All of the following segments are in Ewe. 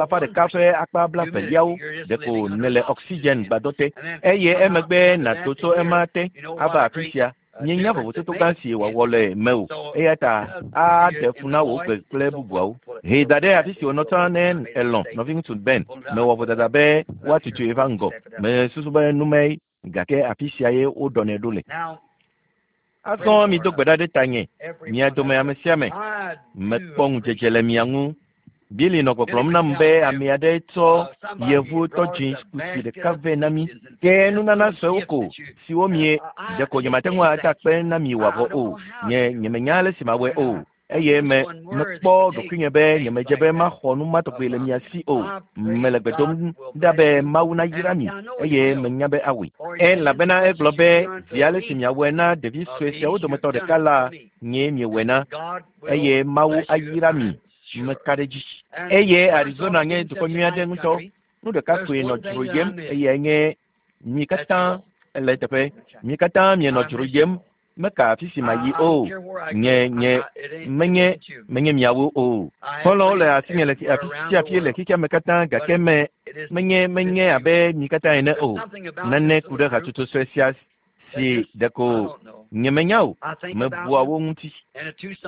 alafa ɖeka ƒe akpa blaeveliawo. Ɖeko nèle oxygen gbadɔ te eye emegbe nàto tso ema te ava afi sia. Míenya vovototo gã si wòawɔ le mewò, eya ta aɖe fu na wò gbe kple bubuawo. Hee da ɖe afi si wònɔ tsã ne elɔ̃, nɔviŋutsu Ben. Mewɔ vodada be woatutui va ŋgɔ. Mesusu be numae, gake afi sia ye woɖɔnɛ ɖo le. Azɔ mido gbe ɖa ɖe tanye, mia dome ame sia ame. Mekpɔ ŋudzedze le mia ŋu. Billy nɔ gbɔgblɔm nam be ame aɖe tsɔ yevu tɔdzi kusi ɖeka vɛ na mí. Ke nunana suewo ko siwo mie ɖeko nyemate ŋu ada akpe na mi wòavɔ o. Nye nyemenya ale si mawɔe o. Eye me mekpɔ ɖokuinye be nyemedze be maxɔ nu ma tɔgbi le mia si o. Mele gbe dom ɖa be Mawu nayra mi eye menya be awɔe. Elabena egblɔ be zi ale si miawɔe na ɖevi sue siawo dometɔ ɖeka la, nyee miewɔe na. Eye Mawu ayra mi. Meka ɖe edzi. Eye Arizona nye dukɔ nyui aɖe ŋutɔ. Nu ɖeka koe nɔ dzroyem eyae nye mi katã ele eteƒe. Mi katã mienɔ dzroyem. Meka afi si mayi o. Nye nye menye menye miawo o. Xɔlɔ̃wo le asinye le afi sia afi le xexea me katã gake me menye menye abe mi katã ene o. Nane ku ɖe hatsotso sue sia si ɖeko nyemenya o. Mebua wo ŋuti.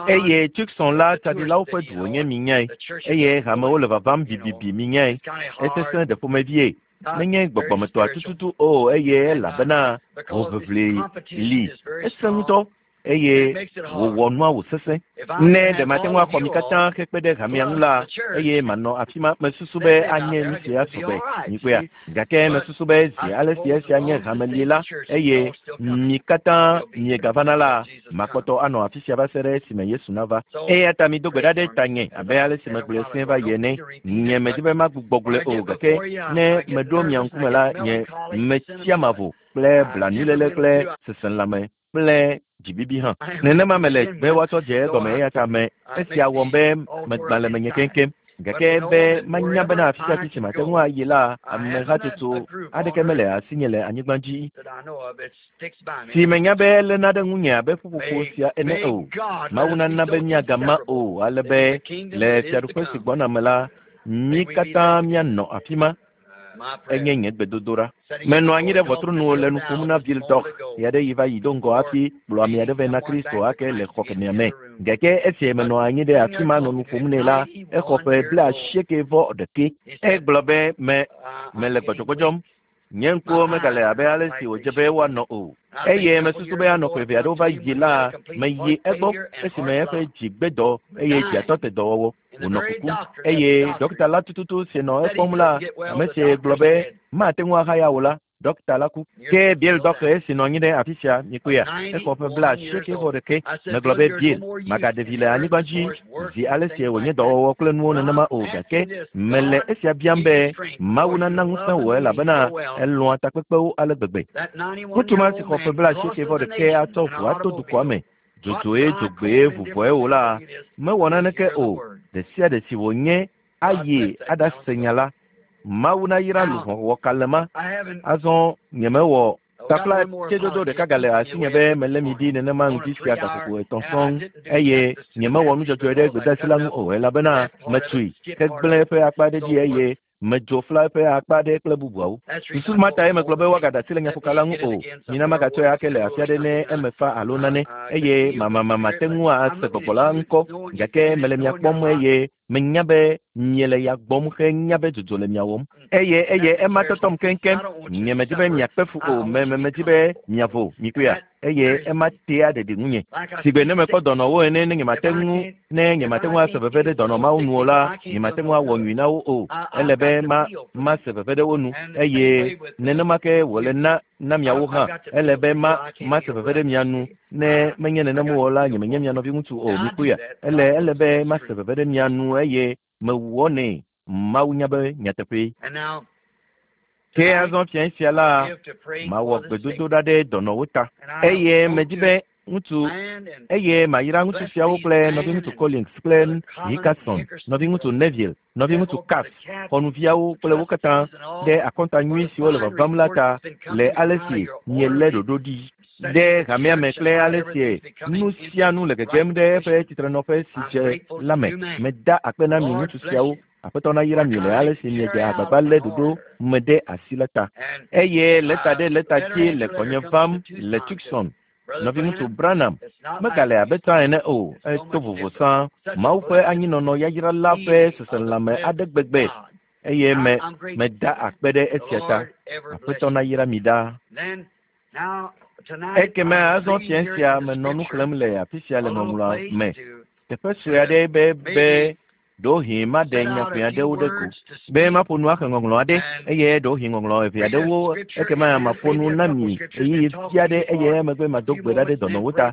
Eye Tucson la tsaɖilawo ƒe du wònye minyae. Eye hamewo le vavam bibibi minyae. Esesẽ ɖe ƒomevie. Menye gbɔgbɔmetɔa tututu o eye elabena hoʋiʋli li. Esẽ ŋutɔ eye wòwɔ nua wòsesẽ. Ne ɖe mate ŋu axɔ mi katã hekpe ɖe hamea ŋu la, eye manɔ afi ma, mesusu be anye nu si asɔ gbe. Mikpɔea? Gake mesusu be zi ale si esia nye hamelie la, eye mi katã miegavana la, makpɔtɔ anɔ afi sia va se ɖe esime Yesu nava. Eya ta mido gbe ɖa ɖe tanye abe ale si megblɔe sẽe va yi ene. Nye medi be magbugbɔ gblɔe o, gake ne meɖo mia ŋkume la, nye metsia mavo kple blanuiléle kple seselãme kple dzibibi hã. Nenema mele be woatsɔ dze egɔme eya ta me esia wɔm be megbã le menye keŋkeŋ. Gake be manya bena afi sia afi si mate ŋu ayi la, ame hatsotso aɖeke mele asinye le anyigba dzi si menya be eléna ɖe ŋunye abe ƒuƒoƒo sia ene o. Mawu nana be míagama o ale be le fiaɖuƒe si gbɔna me la, mí katã míanɔ afi ma. Enye nye gbedodoɖa. Menɔ anyi ɖe ʋɔtru nu le nu ƒom na Bill Dog ɣeaɖeɣi va yi do ŋgɔ hafi kplɔ ame aɖe vɛ na Kristo ake le xɔ kemɛa me. Gake esi menɔ anyi ɖe afi ma nɔ nu ƒom nɛ la, exɔ ƒe 98. Egblɔ be me mele gbɔdzɔgbɔdzɔm. Nye ŋkuwo megale abe ale si wòdze be woanɔ o. Eye mesusu be anɔ ƒe eve aɖewo va yi la, meyi egbɔ esime eƒe dzi gbe dɔ eye dziatɔ te dɔwɔwɔ. Wònɔ kukum eye ɖɔkita la tututu si nɔ ekpɔm la, ame si gblɔ be mate ŋu ahaya o la, ɖɔkita la ku. Ke Bill dɔkta esi nɔ anyi ɖe afi sia, mikpɔea, exɔ ƒe 91. Megblɔ be Bill, magaɖe vi le anyigba dzi zi ale si wònye dɔwɔwɔ kple nuwo nenema o, gake mele esia biam be Mawu nana ŋusẽ wò elabena elɔ̃a takpekpewo ale gbegbe. Ŋutsu ma si xɔ ƒe 91 atsɔ ʋu ato dukɔa me, dzodzoe dzogbee vuvɔe o la, mewɔ naneke o. Ɖe sia ɖe si wònye ayi aɖase nya la. Mawu nayra luʋɔ wɔkalẽ ma. Azɔ nyemewɔ tafla tsedodo ɖeka gale asinye be melé mi ɖi nenema ŋdi sia gaƒoƒo etɔ̃ sɔŋ eye nyemewɔ nu dzɔdzɔe ɖe gbedeasi la ŋu o elabena metui hegblẽ eƒe akpa aɖe dzi eye medzo fla eƒe akpa aɖe kple bubuawo. Susu ma tae megblɔ be woagaɖe asi le nyaƒoka la ŋu o. Mina magatsɔe ake le afi aɖe ne eme fa alo nane eye mamamama te ŋu ase gbɔgbɔ la ŋkɔ gake mele mia kpɔm eye menya be miele ya gbɔm henya be dzodzo le mia wɔm. Eye eye ema tɔtɔm keŋkeŋ. Nye medi be miakpe fu o, me me medi be miavo, mikpɔea. Eye ema tea ɖeɖi ŋunye. Sigbe ne mekpɔ dɔnɔwo ene ne nyemate ŋu ne nyemate ŋu ase veve ɖe dɔnɔ mawo nu o la, nyemate ŋu awɔ nyui na wo o. Ele be ma mase veve ɖe wo nu eye nenema ke wòle na na miawo hã. Ele be ma mase veve ɖe mia nu ne menye nenem o la, nyemenye mia nɔviŋutsu o, mikpɔea. Ele ele be mase veve ɖe mia nu eye mewɔnɛ. Mawu nya be nyateƒee. Ke azɔ fiẽ sia la, mawɔ gbedodoɖa ɖe dɔnɔwo ta. Eye medi be ŋutsu eye mayra ŋutsu siawo kple nɔviŋutsu Collins kple Hickerson, nɔviŋutsu Neville, nɔviŋutsu Cass, xɔnuviawo kple wo katã ɖe akɔnta nyui siwo le vavam la ta le ale si mielé ɖoɖo ɖi ɖe hamea me kple ale si nu sia nu le gegem ɖe eƒe tsitrenɔƒe si dze la me. Meda akpe na mi ŋutsu siawo. Aƒetɔ nayra mi le ale si miedze agbagba lé ɖoɖo me ɖe asi la ta. Eye lɛta ɖe lɛta dzi le gbɔnye vam le Tucson. Nɔviŋutsu Branham megale abe tsã ene o, eto vovo sã. Mawu ƒe anyinɔnɔ yayra la ƒe seselãme aɖe gbegbe eye me meda akpe ɖe esia ta. Aƒetɔ nayra mi ɖaa. Ekeme azɔ fiẽ sia menɔ nu xlẽm le afi sia le ŋɔŋlɔa me. Teƒe sue aɖe be be Ɖewohĩ maɖe nya ʋɛ aɖewo ɖe go be maƒo nu axe ŋɔŋlɔ aɖe eye ɖewohĩ ŋɔŋlɔ eve aɖewo ekema maƒo nu na mi ɣeyiɣi vi aɖe eye emegbe mado gbe ɖa ɖe dɔnɔwo ta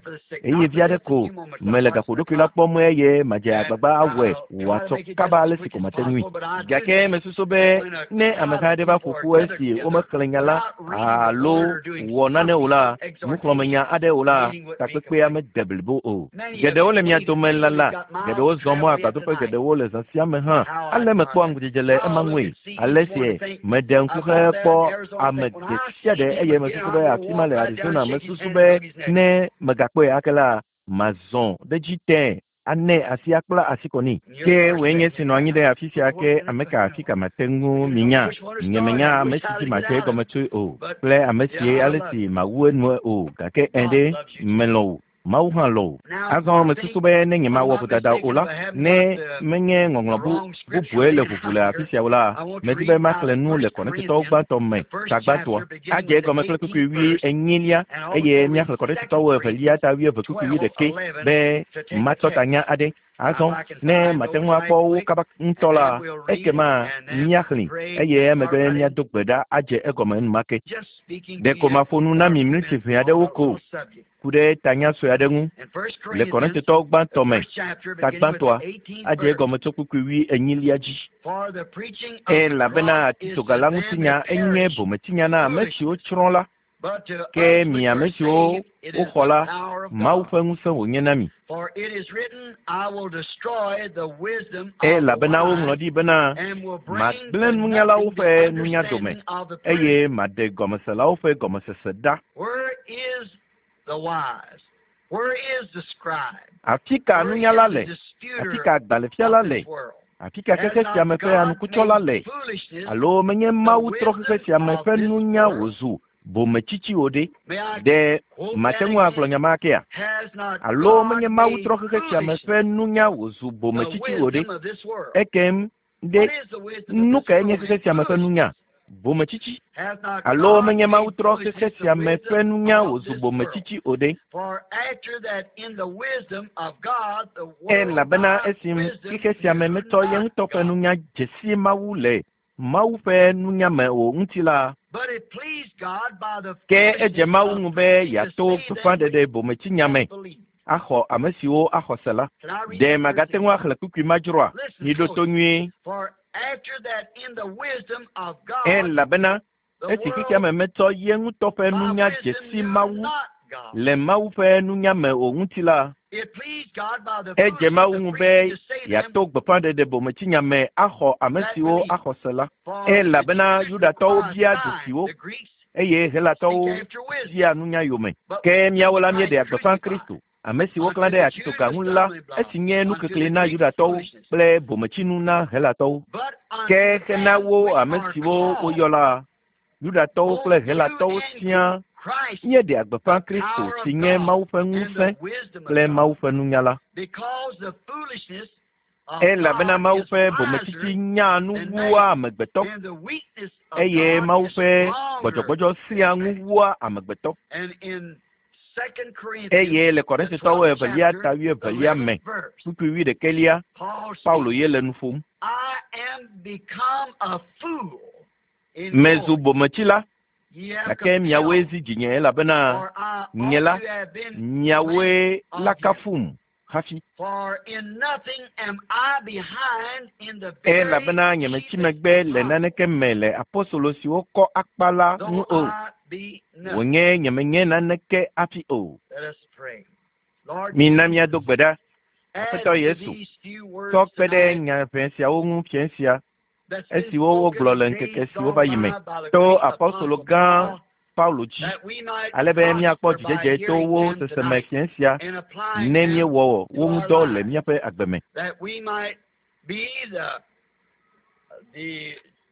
ɣeyiɣi vi aɖe ko. Mele gaƒoɖokui la kpɔm eye madze agbagba awɔe wòasɔ kaba ale si ko mate ŋui. Gake mesusu be ne ameha aɖe va ƒo ƒu esi womexlẽ nya la alo wɔ nane o la, nuxlɔ̃amenya aɖe o la, takpekpea mede blibo o. Geɖewo le mia dome lala, geɖewo zɔ mɔ agbadɔƒe geɖewo le zã sia me hã. Ale mekpɔa ŋudzedze le ema ŋue. Ale si meɖe ŋku hekpɔ ame ɖe sia ɖe eye mesusu be afi ma le Arizona, mesusu be ne megakpɔe ake la, mazɔ ɖe edzi tẽe anɛ asi akpla asi kɔ nɛ. Ke wòe nye esi nɔ anyi ɖe afi sia ke ame ka afi ka mate ŋu minya? Nyemenya ame si dzi madze egɔme tsoe o, kple ame si ale si mawu enue o, gake ẽ ɖe, melɔ̃ wò. Mawu hã lɔ̃ wò. Azɔ mesusu be ne nyemawɔ vodada o la, ne menye ŋɔŋlɔ bu, bubue le ʋuʋu le afi sia o la, medi be maxlẽ nu le Korintotɔwo gbãtɔ me, ta gbãtɔa. Adze egɔme kple kpukpui wui enyilia, eye míaxlẽ Korintotɔwo evelia ta wuieve kpukpui wuiɖekɛ be matɔ tanya aɖe. Azɔ ne mate ŋu akpɔ wo kaba ŋutɔ la, ekema míaxlẽe eye emegbe míado gbe ɖa adze egɔme enumake. Ɖeko maƒo nu na mi miniti ʋɛ aɖewo ko ku ɖe tanya sue aɖe ŋu le Korintotɔwo gbãtɔ me, ta gbãtɔa, adze egɔme tso kpukpui wui enyilia dzi. Elabena atitsoga la ŋutinya enye bometsinya na ame siwo tsrɔ̃ la, Ke mi ame siwo woxɔ la, Mawu ƒe ŋusẽ wònye na mi. Elabena woŋlɔ ɖi bena, Magblẽ nunyalawo ƒe nunya dome, eye maɖe gɔmeselawo ƒe gɔmesese ɖa. Afi ka nunyala le? Afi ka agbalẽfiala le? Afi ka xexe sia me ƒe anukutsɔla le? Alo menye Mawu trɔ xexe sia me ƒe nunya wòzu bometsitsi o ɖe? Ɖe mate ŋu agblɔ nya ma akea? Alo menye Mawu trɔ xexe sia me ƒe nunya wòzu bometsitsi o ɖe? Ekem ɖe, nu kae nye xexe sia me ƒe nunya? Bometsitsi. Alo menye Mawu trɔ xexe sia me ƒe nunya wòzu bometsitsi o ɖe? Elabena esi xexe sia me metsɔ ye ŋutɔ ƒe nunya dze si Mawu le Mawu ƒe nunya me o ŋuti la, ke edze Mawu ŋu be yeato gbeƒãɖeɖe bometsinya me axɔ ame siwo axɔ se la. Ɖe magate ŋu axlẽ kpukpui ma dzroa? Miɖo to nyuie. Elabena esi xexea me metsɔ ye ŋutɔ ƒe nunya dze si Mawu le Mawu ƒe nunya me o ŋuti la, edze Mawu ŋu be yeato gbeƒãɖeɖe bometsinya me axɔ ame siwo axɔ se la. Elabena Yudatɔwo bia dzesiwo, eye Helatɔwo bia nunya yome. Ke míawo la míeɖea gbeƒã Kristo, ame si woklã ɖe atitsoga ŋu la, esi nye nukekli na Yudatɔwo kple bometsinu na Helatɔwo. Ke hena wo ame siwo woyɔ la, Yudatɔwo kple Helatɔwo siaa, míeɖea gbeƒã Kristo si nye Mawu ƒe ŋusẽ kple Mawu ƒe nunya la. Elabena Mawu ƒe bometsitsi nyaa nu wua amegbetɔ, eye Mawu ƒe gbɔdzɔgbɔdzɔ sẽa ŋu wua amegbetɔ. Eye le Korintotɔwo evelia ta wuievelia me, kpukpui wuiɖekɛlia, Paulo ye le nu ƒom. Mezu bometsila, gake miawoe zi dzinye elabena nye la, miawoe la kafum hafi. Elabena nyemetsi megbe le naneke me le apostolo siwo kɔ akpa la ŋu o. Wònye nyemenye naneke hafi o. Mina míado gbe ɖa. Aƒetɔ Yesu, tsɔ kpe ɖe nya ʋɛ siawo ŋu fiẽ sia, esiwo wogblɔ le ŋkeke siwo va yi me to apostolo gã Paulo dzi, ale be míakpɔ dzidzedze to wo sese me fiẽ sia ne míewɔ wo ŋudɔ le míaƒe agbe me.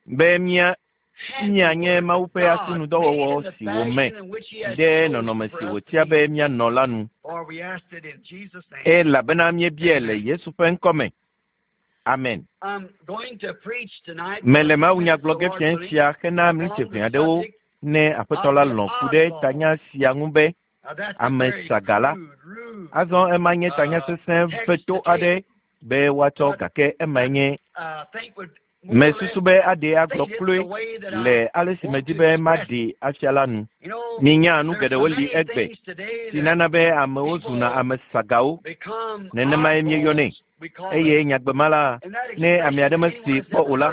Be mía míanye Mawu ƒe asinudɔwɔwɔ si wòme ɖe nɔnɔme si wòtia be míanɔ la nu. Elabena míebiae le Yesu ƒe ŋkɔ me. Amen. Mele mawunya gblɔ ge fiẽ sia hena miniti ʋɛ aɖewo ne Aƒetɔ la lɔ̃ ku ɖe tanya sia ŋu be, Ame Saga la. Azɔ ema nye tanya sesẽ veto aɖe. be woatsɔ gake emae nye mesusu be aɖee agblɔ kloe le ale si medi be maɖee afia la nu. Minya nu geɖewo li egbe si nana be amewo zuna ame sagawo. Nenemae míeyɔnɛ. Eye nyagbe ma la, ne ame aɖe mesee kpɔ o la,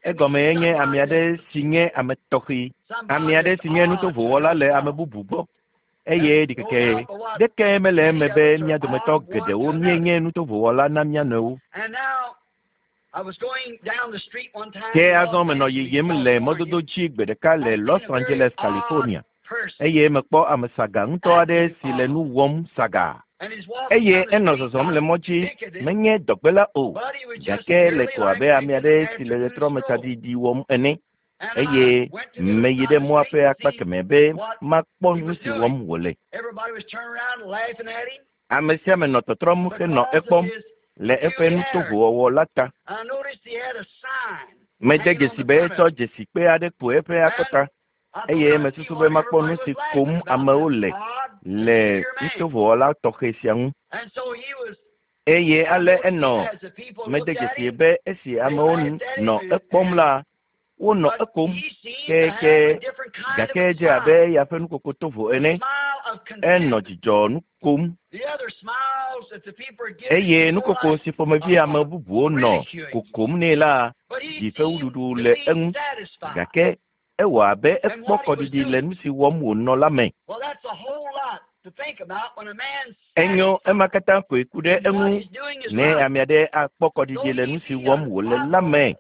egɔme enye ame aɖe si nye ame tɔxɛ, ame aɖe si nye nutovowɔla le ame bubu gbɔ. Eye ɖikeke ɖeke mele eme be mía dometɔ geɖewo míenye nutovowɔla na mía nɔewo. Ke azɔ menɔ yiyim le mɔdodo dzi gbe ɖeka le Los Angeles, California, eye mekpɔ ame saga ŋutɔ aɖe si le nu wɔm saga. Eye enɔ zɔzɔm le mɔ dzi, menye dɔgbela o, gake le ko abe ame aɖe si le ɣetrɔmetsaɖiɖi wɔm ene. Eye meyi ɖe mɔa ƒe akpa kemɛ be makpɔ nu si wɔm wòle. Ame sia ame nɔ tɔtrɔm henɔ ekpɔm le eƒe nutovowɔwɔ la ta. Mede dzesi be etsɔ dzesikpe aɖe kpo eƒe akɔta eye mesusu be makpɔ nu si kom amewo le le nutovowɔla tɔxɛ sia ŋu. Eye ale enɔ mede dzesi be esi amewo nɔ ekpɔm la, wonɔ ekom keke gake edze abe eya ƒe nukoko tovo ene. Enɔ dzidzɔ nu kom eye nukoko si ƒomevi ame bubuwo nɔ kokom nɛ la ɖi fewuɖuɖu le eŋu gake ewɔ abe ekpɔ kɔɖiɖi le nu si wɔm wònɔ la me. Enyo ema katã koe ku ɖe eŋu ne ame aɖe akpɔ kɔɖiɖi le nu si wɔm wòle la me.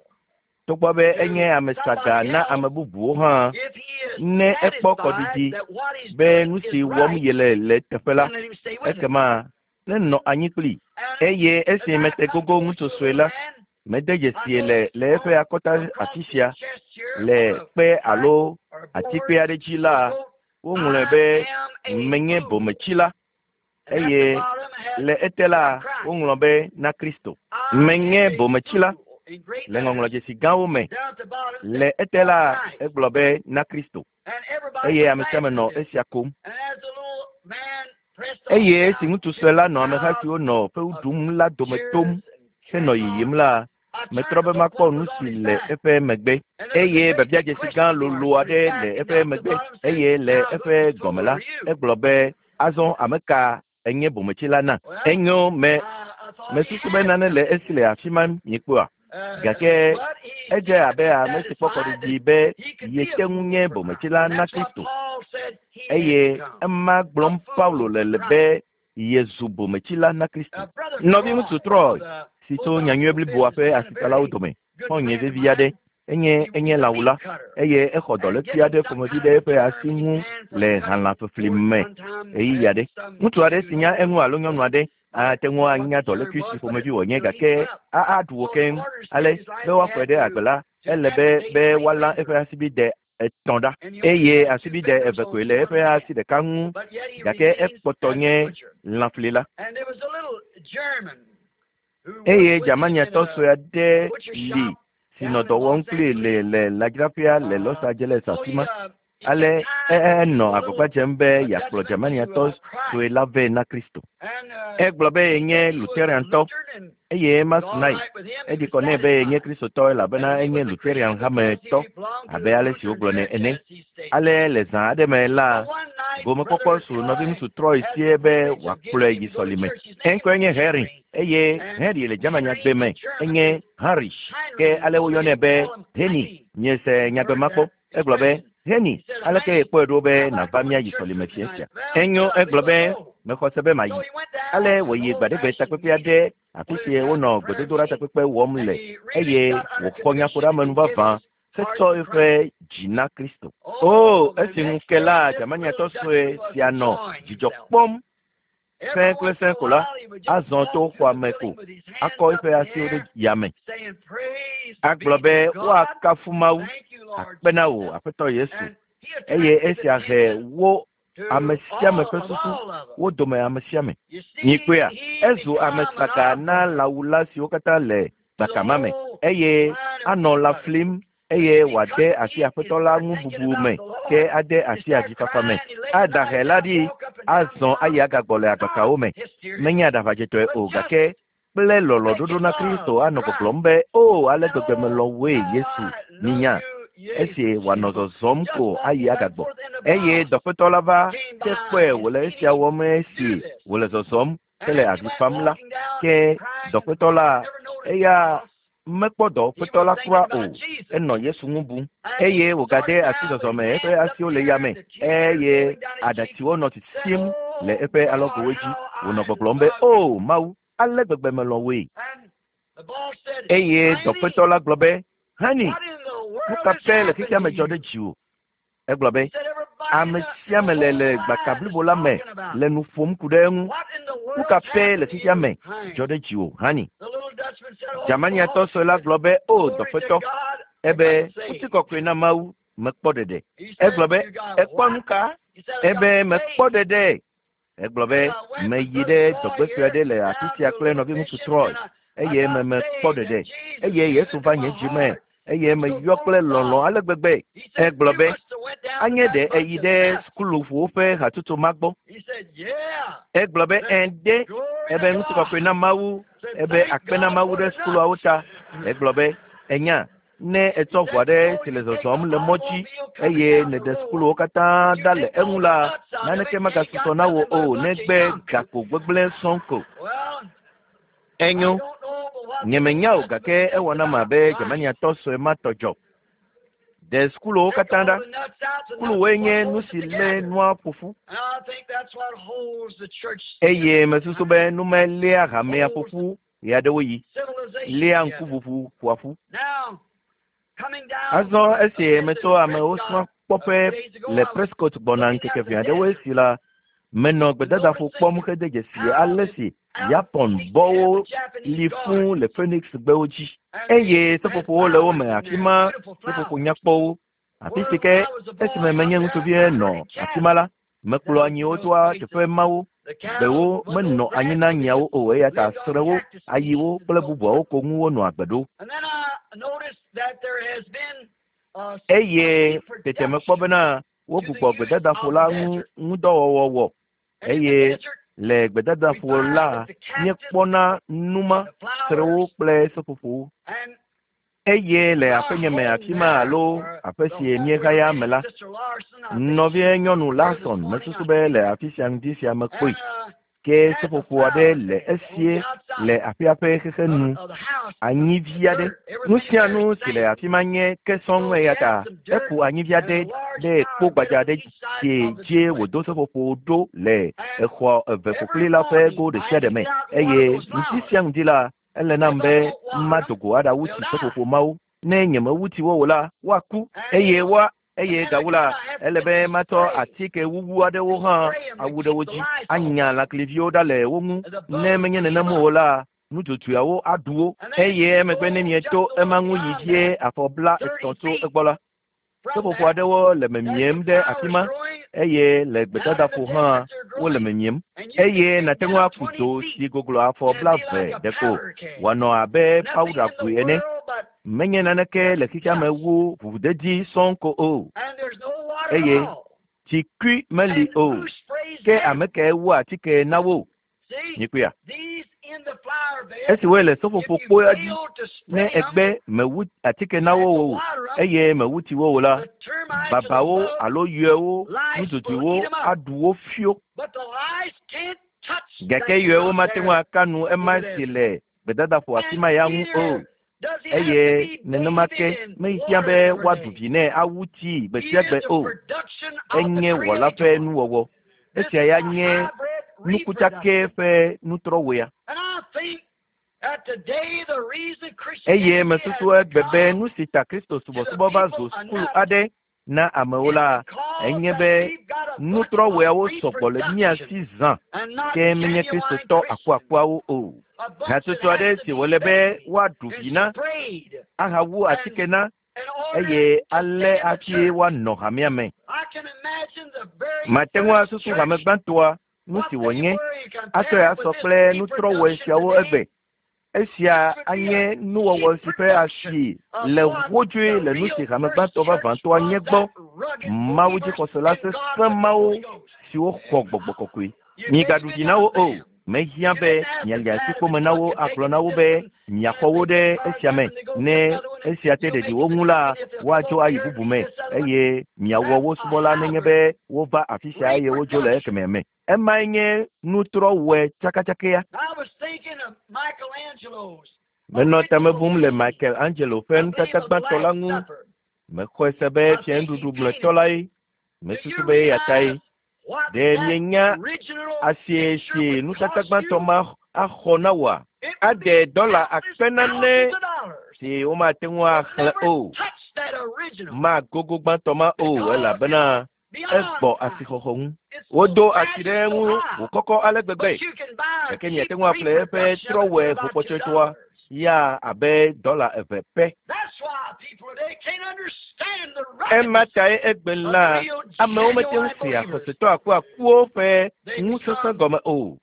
Togbɔ be enye ame saga na ame bubuwo hã, ne ekpɔ kɔɖiɖi be nu si wɔm yele le teƒe la, ekema nenɔ anyi kpli. Eye esi mete gogo ŋutsu sue la, mede dzesie le le eƒe akɔta afi sia le kpe alo atikpe aɖe dzi la, woŋlɔe be menye bometsila eye le ete la woŋlɔ be na Kristo. Menye bometsila le ŋɔŋlɔdzesi gãwo me. Le ete la egblɔ be na Kristo eye ame sia ame nɔ esia kom. Eye esi ŋutsu sue la nɔ ameha siwo nɔ fewu ɖum la dome tom henɔ yiyim la, metrɔ be makpɔ nu si le eƒe megbe eye biabiadzesi gã lolo aɖe le eƒe megbe eye le eƒe gɔme la, egblɔ be azɔ ame ka enye bometsila na. Enyo me mesusu be nane le esi le afi ma miekpɔa gake edze abe ame si kpɔ kɔɖiɖi be yete ŋu nye bometsila na Kristo eye ema gblɔm Paulo le le be yezu bometsila na Kristo. Nɔviŋutsu Troy si tso nyanyui bliboa ƒe asitsalawo dome xɔ̃nye vevi aɖe enye enye lãwula eye exɔ dɔlékui aɖe ƒomevi ɖe eƒe asi ŋu le halãfefli me ɣeyiɣi aɖe. Ŋutsu aɖe si nya eŋu alo nyɔnu aɖe ate ŋu anya dɔlékui si ƒomevi wònye gake aɖu wò keŋ. Ale be woaxɔe ɖe agbe la, ele be be woalã eƒe asibide etɔ̃ ɖa eye asibide eve koe le eƒe asi ɖeka ŋu gake ekpɔtɔ nye lãflila. Eye Germaniatɔ sue aɖe li si nɔ dɔ wɔm kplii le le lãdzraƒea le Los Angeles afi ma. Ale enɔ agbagba dzem be yeakplɔ Germaniatɔ sue la vɛ na Kristo. Egblɔ be yenye Lutheran-tɔ eye ema su nae. Eɖi kɔ nɛ be yenye Kristotɔ elabena enye Lutheran hametɔ abe ale si wogblɔnɛ ene. Ale le zã aɖe me la, gomekpɔkpɔ su nɔviŋutsu Troy sie be wòakplɔe yi sɔlime. Eŋkɔe nye Henry eye Henry le Germanyagbe me enye Heinrich ke ale woyɔnɛ be Henny. Miese nyagbe ma kpɔ. Egblɔ be Henny, aleke yekpɔe ɖo be nàva míayi sɔlime fiẽ sia? Enyo egblɔ be mexɔ se be mayi. Ale wòyi gbaɖegbe takpekpe aɖe afi si wonɔ gbedodoɖa takpekpe wɔm le eye wòxɔ nyaƒoɖeamenu vavã hetsɔ eƒe dzi na Kristo. O, esi ŋu ke la, Germaniatɔ sue sia nɔ dzidzɔ kpɔm sẽe kple sẽe ko la, azɔ to xɔa me ko akɔ eƒe asiwo ɖe yame. Agblɔ be woakafu Mawu, akpe na wò, Aƒetɔ Yesu. Eye esia he wo ame sia ame ƒe susu, wo dome ame sia ame. Mikpɔea, ezu ame saga na lãwula siwo katã le gbaka ma me eye anɔ lã flim eye wòade asi aƒetɔ la ŋu bubu me ke ade asi avifafa me. Ada hɛ la ɖi azɔ ayi agagbɔ le agbakawo me. Menye aɖaʋadzetɔe o gake kple lɔlɔ̃ɖoɖo na Kristo anɔ gbɔgblɔm be, "O, ale gbegbe melɔ̃ wòe, Yesu, minya," esi wòanɔ zɔzɔm ko ayi agagbɔ. Eye dɔƒetɔ la va ke kpɔe wòle esia wɔm esi wòle zɔzɔm hele avi fam la. Ke dɔƒetɔ la, eya mekpɔ dɔwɔƒetɔ la kura o. Enɔ Yesu ŋu bum eye wògade asi zɔzɔme, eƒe asiwo le yame eye aɖatsiwo nɔ sisim le eƒe alɔgowo dzi. Wònɔ gbɔgblɔm be, "O Mawu, ale gbegbe melɔ̃ wòe." Eye dɔƒetɔ la gblɔ be, "Hani, nu ka pɛ le xexea me dzɔ ɖe dziwò?" Egblɔ be, Ame sia ame le le gbaka blibo la me le nu ƒom ku ɖe eŋu. Nu ka pɛ le xexea me dzɔ ɖe dziwò, Hani? Germaniatɔ sue la gblɔ be, O, dɔƒetɔ, ebe, ŋutikɔkɔe na Mawu, mekpɔ ɖeɖe. Egblɔ be, Èkpɔ nu ka? Ebe, mekpɔ ɖeɖe. Egblɔ be, Meyi ɖe dɔgbe sue aɖe le afi sia kple nɔviŋutsu Troy, eye me mekpɔ ɖeɖe. Eye Yesu va nye dzi me, eye meyɔ kple lɔlɔ̃ ale gbegbe. Egblɔ be, Anye ɖe èyi ɖe sukuluƒowo ƒe hatsotso ma gbɔ? Egblɔ be, Ẽ ɖe. Ebe ŋutikɔkɔe na Mawu. Ebe akpe na Mawu ɖe sukuluawo ta. Egblɔ be, Ènya, Ne ètsɔ ʋu aɖe si le zɔzɔm le mɔ dzi eye nèɖe sukuluwo katã ɖa le eŋu la, naneke magasusɔ na wò o negbe gakpo gbegblẽ sɔŋ ko. Enyo, nyemenya o gake ewɔ nam abe Germaniatɔ sue ma tɔ dzɔ. Ɖe sukuluwo katã ɖa. Sukuluwoe nye nu si lé nua ƒo ƒu. Eye mesusu be nu mae léa hamea ƒo ƒu ɣeaɖewoɣi léa ŋkuʋuʋu ƒoa ƒu. Azɔ esi metso amewo srɔ̃ kpɔƒe le Prescott gbɔna ŋkeke ʋɛ aɖewo esi la, menɔ gbedadaƒo kpɔm hede dzesi ale si Yapon bɔwo li fũ le Phoenix gbewo dzi eye seƒoƒowo le wo me afi ma, seƒoƒo nyakpɔwo. Afi si ke esime menye ŋutsuvie nɔ afi ma la, Mekplɔa nyiwo toa teƒe mawo. Gbewo menɔ anyi na nyiawo o eya ta srẽwo, ayiwo kple bubuawo ko ŋu wonɔa agbe ɖo. Eye tete mekpɔ bena wogbugbɔ gbedadaƒo la ŋu ŋudɔwɔwɔ wɔ eye le gbedadaƒo la míekpɔna numa, srẽwo kple seƒoƒowo. Eye le aƒenye me afi ma alo aƒe si míehaya me la, nɔvie nyɔnu Larson mesusu be le afi sia ŋdi sia mekpɔe. Ke seƒoƒo aɖe le esie le aƒea ƒe xexe nu, anyivi aɖe. Nu sia nu si le afi ma nye ke sɔŋ eya ta eku anyivi aɖe ɖe kpo gbadza aɖe si dzie wòdo seƒoƒo ɖo le exɔ eve ƒokpli la ƒe go ɖesiaɖe me. Eye ŋdi sia ŋdi la, Ele nam be mado go aɖawu tsi seƒoƒo mawo. Ne nyemewu tsi wo o la, woaku, eye woa, eye gawu la, ele be matsɔ atike wuwu aɖewo hã awu ɖe wo dzi, anya lãkliviwo ɖa le wo ŋu. Ne menye nenem o la, nudzodzoeawo aɖu wo. Eye emegbe ne mieto ema ŋu yi vie afɔ bla etɔ̃ tso egbɔ la, Seƒoƒo aɖewo le memiem ɖe afi ma eye le gbedadaƒo hã wole memiem. Eye nàte ŋu aku do si goglo afɔ blave ɖeko wòanɔ abe pawuɖagoe ene. Menye naneke le xexea me wu ʋuʋudedi sɔŋ ko o. Eye tsikui meli o. Ke ame kae wua atike na wo? Mikpɔea? Esi woe le seƒoƒo kpoea dzi, ne egbe mewu atike na wo o eye mewu tsi wo o la, babawo alo yɔewo, nudzodzoewo aɖu wo fio. Gake yɔewo mate ŋu aka nu ema si le gbedadaƒo afi ma ya ŋu o. Eye nenema ke mehiã be woaɖu vi nɛ awu tsii gbe sia gbe o. Enye Wɔla ƒe nuwɔwɔ. Esia ya nye nukutsake ƒe nutrɔwɔea. Eye mesusu egbe be nu si ta Kristo subɔsubɔ va zu sukulu aɖe na amewo la, enye be nutrɔwɔeawo sɔgbɔ le mía si zã, ke menye Kristotɔ akuakuawo o. Hatsotso aɖe si wòle be woaɖu vi na, ahawu atike na, eye ale hafi woanɔ hamea me. Mate ŋu asusu hame gbãtɔa nu si wònye atsɔe asɔ kple nutrɔwɔe siawo egbe. Esia anye nuwɔwɔ si ƒe asi le wodzoe le nu si hame gbãtɔ vavãtɔa nye gbɔ, Mawu dzixɔsela sesẽ mawo siwo xɔ gbɔgbɔ kɔkɔe. Migaɖu dzi na wo o. Mehiã be miali asi kpome na wo agblɔ na wo be miaxɔ wo ɖe esia me. Ne esia te ɖeɖi wo ŋu la, woadzo ayi bubu me eye miawɔ wo subɔla nenye be wova afi sia eye wodzo le ekemɛ me. Emae nye nutrɔwɔe tsakatsakea. Menɔ tame bum le Michelangelo ƒe nutata gbãtɔ la ŋu. Mexɔe se be fianuɖuɖu mlɔetɔ lae. Mesusu be eya tae. Ɖe mienya asie si nutata gbãtɔ ma axɔ na woa? Ade dɔla akpe nane si womate ŋu axlẽ o. Magogo gbãtɔ ma o elabena egbɔ asixɔxɔ ŋu. Wodo asi ɖe eŋu wòkɔkɔ ale gbegbe. Gake miate ŋu aƒle eƒe trɔwɔe ʋukpɔtsɔtsɔa ya abe dɔla eve pɛ. Ema tae egbe la amewo mete ŋu sea xɔsetɔ akuakuwo ƒe ŋusesẽ gɔme o.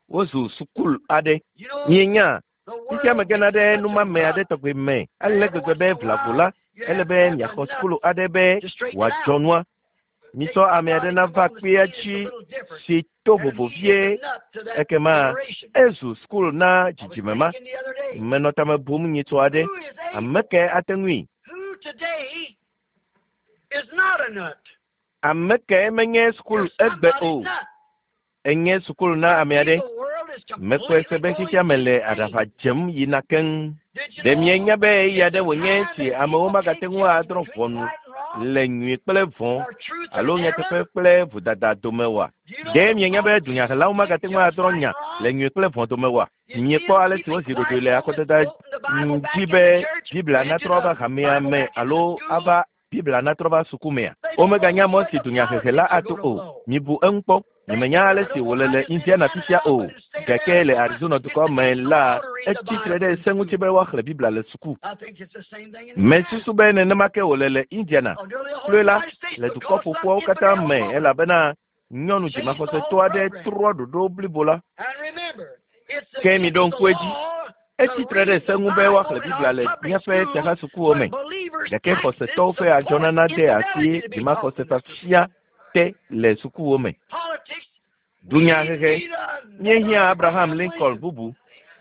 Wozu sukulu aɖe. Mienya, fifia megena ɖe numame aɖe tɔgbe me ale gbegbe be vlavo la, ele be miaxɔ sukulu aɖe be wòadzɔ nua. Mitsɔ ame aɖe nava kpea dzi si to vovo vie ekema ezu sukulu na dzidzime ma. Menɔ tame bum nyitsɔ aɖe. Ame kae ate ŋui? Ame kae menye sukulu egbe o? Enye sukulu na ame aɖe. Mekpɔe se be xexea me le aɖaʋa dzem yina keŋ. Ɖe mienya be eya ɖe wònye si amewo magate ŋu adrɔ̃ ʋɔnu le nyui kple vɔ̃ alo nyateƒe kple vodada dome oa? Ɖe mienya be dunyahelawo magate ŋu adrɔ̃ nya le nyui kple vɔ̃ dome oa? Miekpɔ ale si wozi ɖoɖoe le akɔdada dzi be Biblia natrɔ ava hamea me alo ava Biblia natrɔ va suku mea? Womeganya mɔ si dunyahehe la ato o. Mibu eŋu kpɔ. Nyemenya ale si wòle le Indiana fifia o. Gake le Arizona dukɔ me la, etsi tre ɖe se ŋuti be woaxlẽ Biblia le suku. Mesusu be nenema ke wòle le Indiana. Kloe la, le dukɔ ƒoƒuawo katã me elabena nyɔnu dzimaxɔsetɔ aɖe trɔ ɖoɖo blibo la. Ke miɖo ŋku edzi. Etsi tre ɖe se ŋu be woaxlẽ Biblia le míaƒe fiahasukuwo me. Gake xɔsetɔwo ƒe adzɔnana de asi dzimaxɔsefafia te le sukuwo me. Dunyahehe. Míehiã Abraham Lincoln bubu.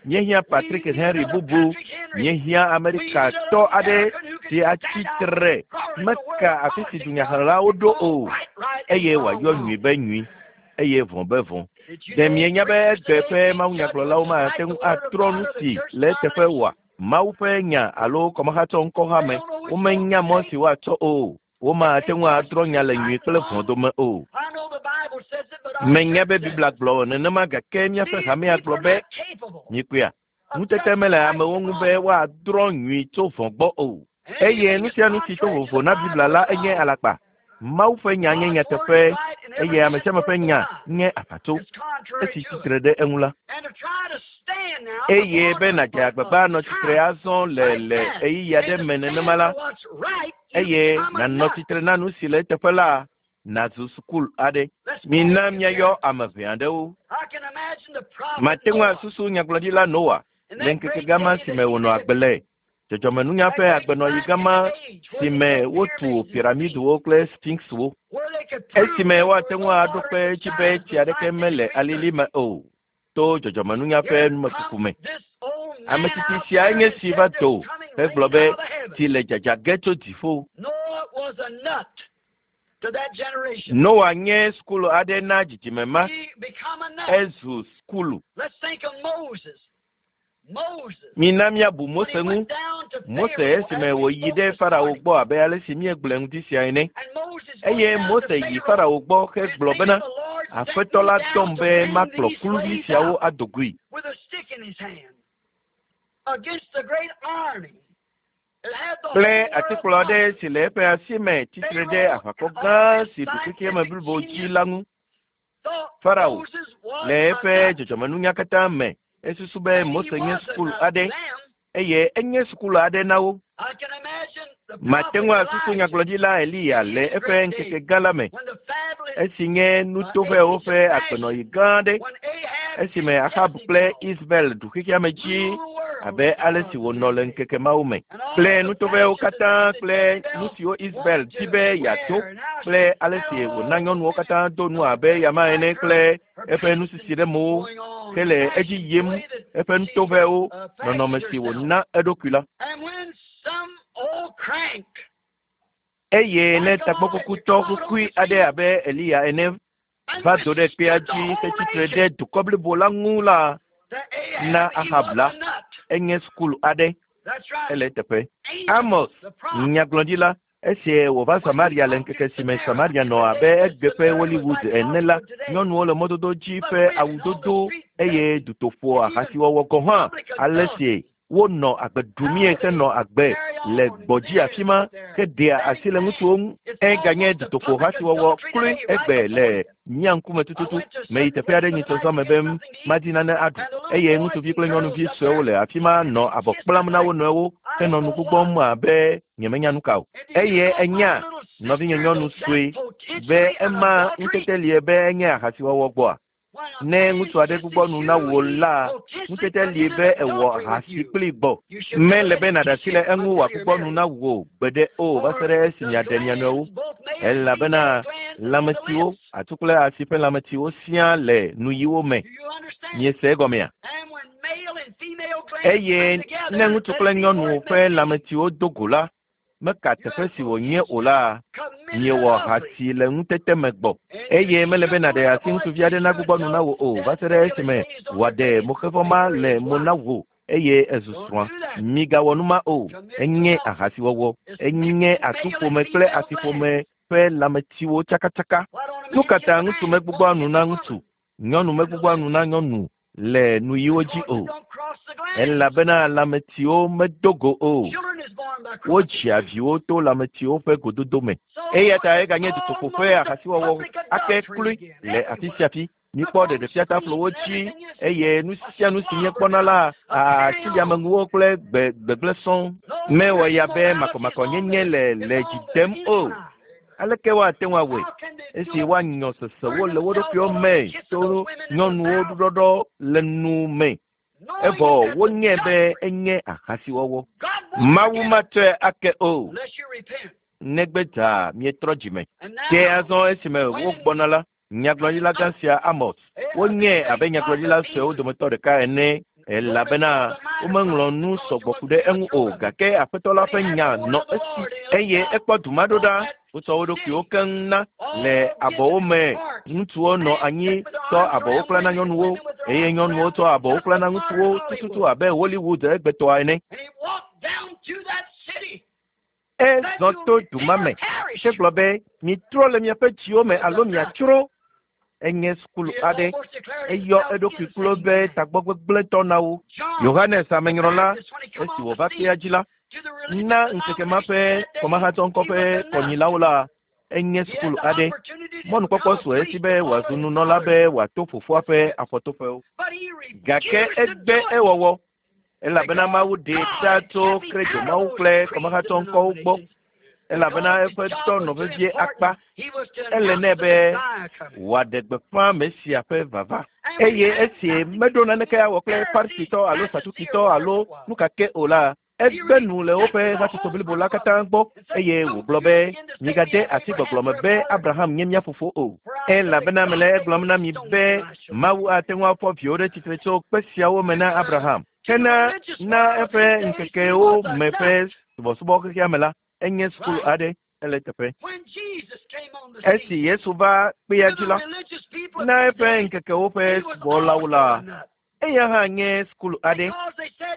Míehiã Patrick Henry bubu. Míehiã Amerikatɔ aɖe si atsi tre meka afi si dunyahelawo ɖo o eye wòayɔ nyui be nyui eye vɔ̃ be vɔ̃. Ɖe mienya be egbe ƒe mawunyagblɔlawo mate ŋu atrɔ nu si le eteƒe oa? Mawu ƒe nya alo kɔmahatsɔ ŋkɔha me womenya mɔ si woatsɔ o. Womate ŋu adrɔ̃ nya le nyui kple vɔ̃ dome o. Menya be Biblia gblɔ nenema gake míaƒe hamea gblɔ be mikpɔea ŋutete mele amewo ŋu be woadrɔ̃ nyui tso vɔ̃ gbɔ o. Eye nu sia nu si to vovo na Biblia la enye alakpa. Mawu ƒe nya nye nyateƒe eye ame sia ame ƒe nya nye aʋatso esi tsitre ɖe eŋu la. Eye be nàdze agbagba anɔ tsitre azɔ le le ɣeyiɣi aɖe me nenema la, eye nànɔ tsitre na nu si le eteƒe la, nàzu sukulu aɖe. Mina míayɔ ame ʋɛ aɖewo. Mate ŋu asusu nyagblɔɖila Noa le ŋkeke gama si me wònɔ agbe le. Dzɔdzɔmenunya ƒe agbenɔɣi gama si me wotu piramidiwo kple sphinxwo. Esime woate ŋu aɖo kpe edzi be tsi aɖeke mele alili me o to dzɔdzɔmenunya ƒe numekuku me. Ame tsitsi sia nye si va do hegblɔ be tsi le dzadza ge tso dziƒo. Noa nye sukulu aɖe na dzidzime ma. Ezu sukulu. Mina míabu Mose ŋu. Mose esime wòyi ɖe Farao gbɔ abe ale si míegblɔe ŋdi sia ene. Eye Mose yi Farao gbɔ hegblɔ bena, Aƒetɔ la dɔm be makplɔ kluvi siawo ado goe. Kple atikplɔ aɖe si le eƒe asi me tsitre ɖe aʋakɔ gã si ɖu xexeame blibo dzi la ŋu. Farao le eƒe dzɔdzɔmenunya katã me esusu be Mose nye sukulu aɖe eye enye sukulu aɖe na wo. Mate ŋu asusu nyagblɔɖila Eliya le eƒe ŋkeke gã la me esi nye nutoƒewo ƒe agbenɔɣi gã aɖe esime Ahab kple Isabel ɖu xexeame dzi. abe ale si wònɔ le ŋkeke mawo me kple nutovɛwo katã kple nu siwo Israel di be yeado kple ale si wòna nyɔnuwo katã do nu abe yama ene kple eƒe nusisi ɖe mowo hele edzi yim eƒe nutovɛwo nɔnɔme si wòna eɖokui la. Eye ne tagbɔkukutɔ kukui aɖe abe Eliya ene va do ɖe kpea dzi hetsi tre ɖe dukɔ blibo la ŋu la, na Ahab la, enye sukulu aɖe ele eteƒe. Amos, nyagblɔɖila, esi wòva Samaria le ŋkeke si me Samaria nɔ abe egbe ƒe Hollywood ene la, nyɔnuwo le mɔdodo dzi ƒe awudodo eye dutoƒo ahasiwɔwɔ gɔ̃ hã ale si wonɔ agbe ɖumie henɔ agbe le gbɔdzi afi ma heɖea asi le ŋutsuwo ŋu. Eganye dutoƒo hasiwɔwɔ kloe egbe le mía ŋkume tututu. Meyi teƒe aɖe nyitsɔzɔ me be madi nane aɖu eye ŋutsuvi kple nyɔnuvi suewo le afi ma nɔ abɔ kplam na wo nɔewo henɔ nu gbugbɔm abe nyemenya nu ka o. Eye enya nɔvinye nyɔnu sue be ema ŋutete lie be enye ahasiwɔwɔ gbɔa. Ne ŋutsu aɖe gbugbɔ nu na wò la, ŋutete lie be ewɔ ahasi kpli gbɔ. Mele be nàɖe asi le eŋu wòagbugbɔ nu na wò gbeɖe o va se ɖe esi miaɖe mia nɔewo. Elabena lãmetiwo, atsu kple asi ƒe lãmetiwo siaa le nuyiwo me. Miese egɔmea? Eye ne ŋutsu kple nyɔnu ƒe lãmetiwo do go la, meka teƒe si wònye o la, miewɔ ahasi le ŋutete me gbɔ. Eye mele be nàɖe asi ŋutsuvi aɖe nagbugbɔ nu na wò o va se ɖe esime wòaɖe moxevɔ ma le mo na wò eye ezu srɔ̃a. Migawɔ nu ma o. Enye ahasiwɔwɔ. Enye atuƒome kple asiƒome ƒe lãmetiwo tsakatsaka. Nu ka ta ŋutsu megbugbɔa nu na ŋutsu, nyɔnu megbugbɔa nu na nyɔnu le nuyiwo dzi o? Elabena lãmetiwo medo go o. Wodzia viwo to lãmetiwo ƒe gododo me. Eya ta eganye dutoƒo ƒe ahasiwɔwɔ ake kloe le afi sia afi. Míkpɔ ɖeɖefiataflowo dzi eye nu sia nu si míekpɔna la asiliameŋuwo kple gbe gbegblẽ sɔŋ. Mewɔ ya be makɔmakɔnyenye le le dzi dem o. Aleke woate ŋu awɔe esi woanyɔ sesewo le wo ɖokuiwo me to nyɔnuwo ɖuɖɔɖɔ le nu me evɔ wonyae be enye ahasiwɔwɔ. Mawu matsɔe ake o negbe dza mietrɔ dzime. Ke azɔ esime wogbɔna la, nyagblɔɖila gã sia Amos, wonyae abe nyagblɔɖila suewo dometɔ ɖeka ene elabena womeŋlɔ nu sɔgbɔ ku ɖe eŋu o gake aƒetɔ la ƒe nya nɔ esi eye ekpɔ du ma ɖo ɖa. Wotsɔ wo ɖokuiwo keŋ na le abɔwo me. Ŋutsuwo nɔ anyi tsɔ abɔwo kpla na nyɔnuwo eye nyɔnuwo tsɔ abɔwo kpla na ŋutsuwo tututu abe Hollywood egbetɔa ene. Ezɔ to du ma me hegblɔ be mitrɔ le miaƒe dziwo me alo miatsrɔ̃. Enye sukulu aɖe. Eyɔ eɖokui klo be tagbɔgbegblẽtɔ na wo. Yohanes amenyrɔla esi wòva kpea dzi la, na ŋkeke ma ƒe kɔmahatsɔŋkɔ ƒe kɔnyilawo la, enye sukulu aɖe. Mɔnukpɔkpɔ su esi be wòazu nunɔla be wòato fofoa ƒe afɔtoƒewo. Gake egbe ewɔwɔ elabena Mawu ɖee ɖa tso kredomawu kple kɔmahatsɔŋkɔwo gbɔ elabena eƒe dɔ nɔ vevie akpa. Ele nɛ be wòaɖe gbeƒã Mesia ƒe vava. Eye esi meɖo naneke awɔ kple Farisitɔ alo Sadukitɔ alo nu ka ke o la, egbe nu le woƒe hatsotso blibo la katã gbɔ eye wògblɔ be migade asi gbɔgblɔ me be Abraham nye mía fofo o. Elabena mele egblɔm na mi be Mawu ate ŋu afɔ viwo ɖe tsitre tso kpe siawo me na Abraham. Hena na eƒe ŋkekewo me ƒe subɔsubɔ xexea me la, enye sukulu aɖe ele teƒe. Esi Yesu va kpea dzi la, na eƒe ŋkekewo ƒe subɔlawo la, eya hã nye sukulu aɖe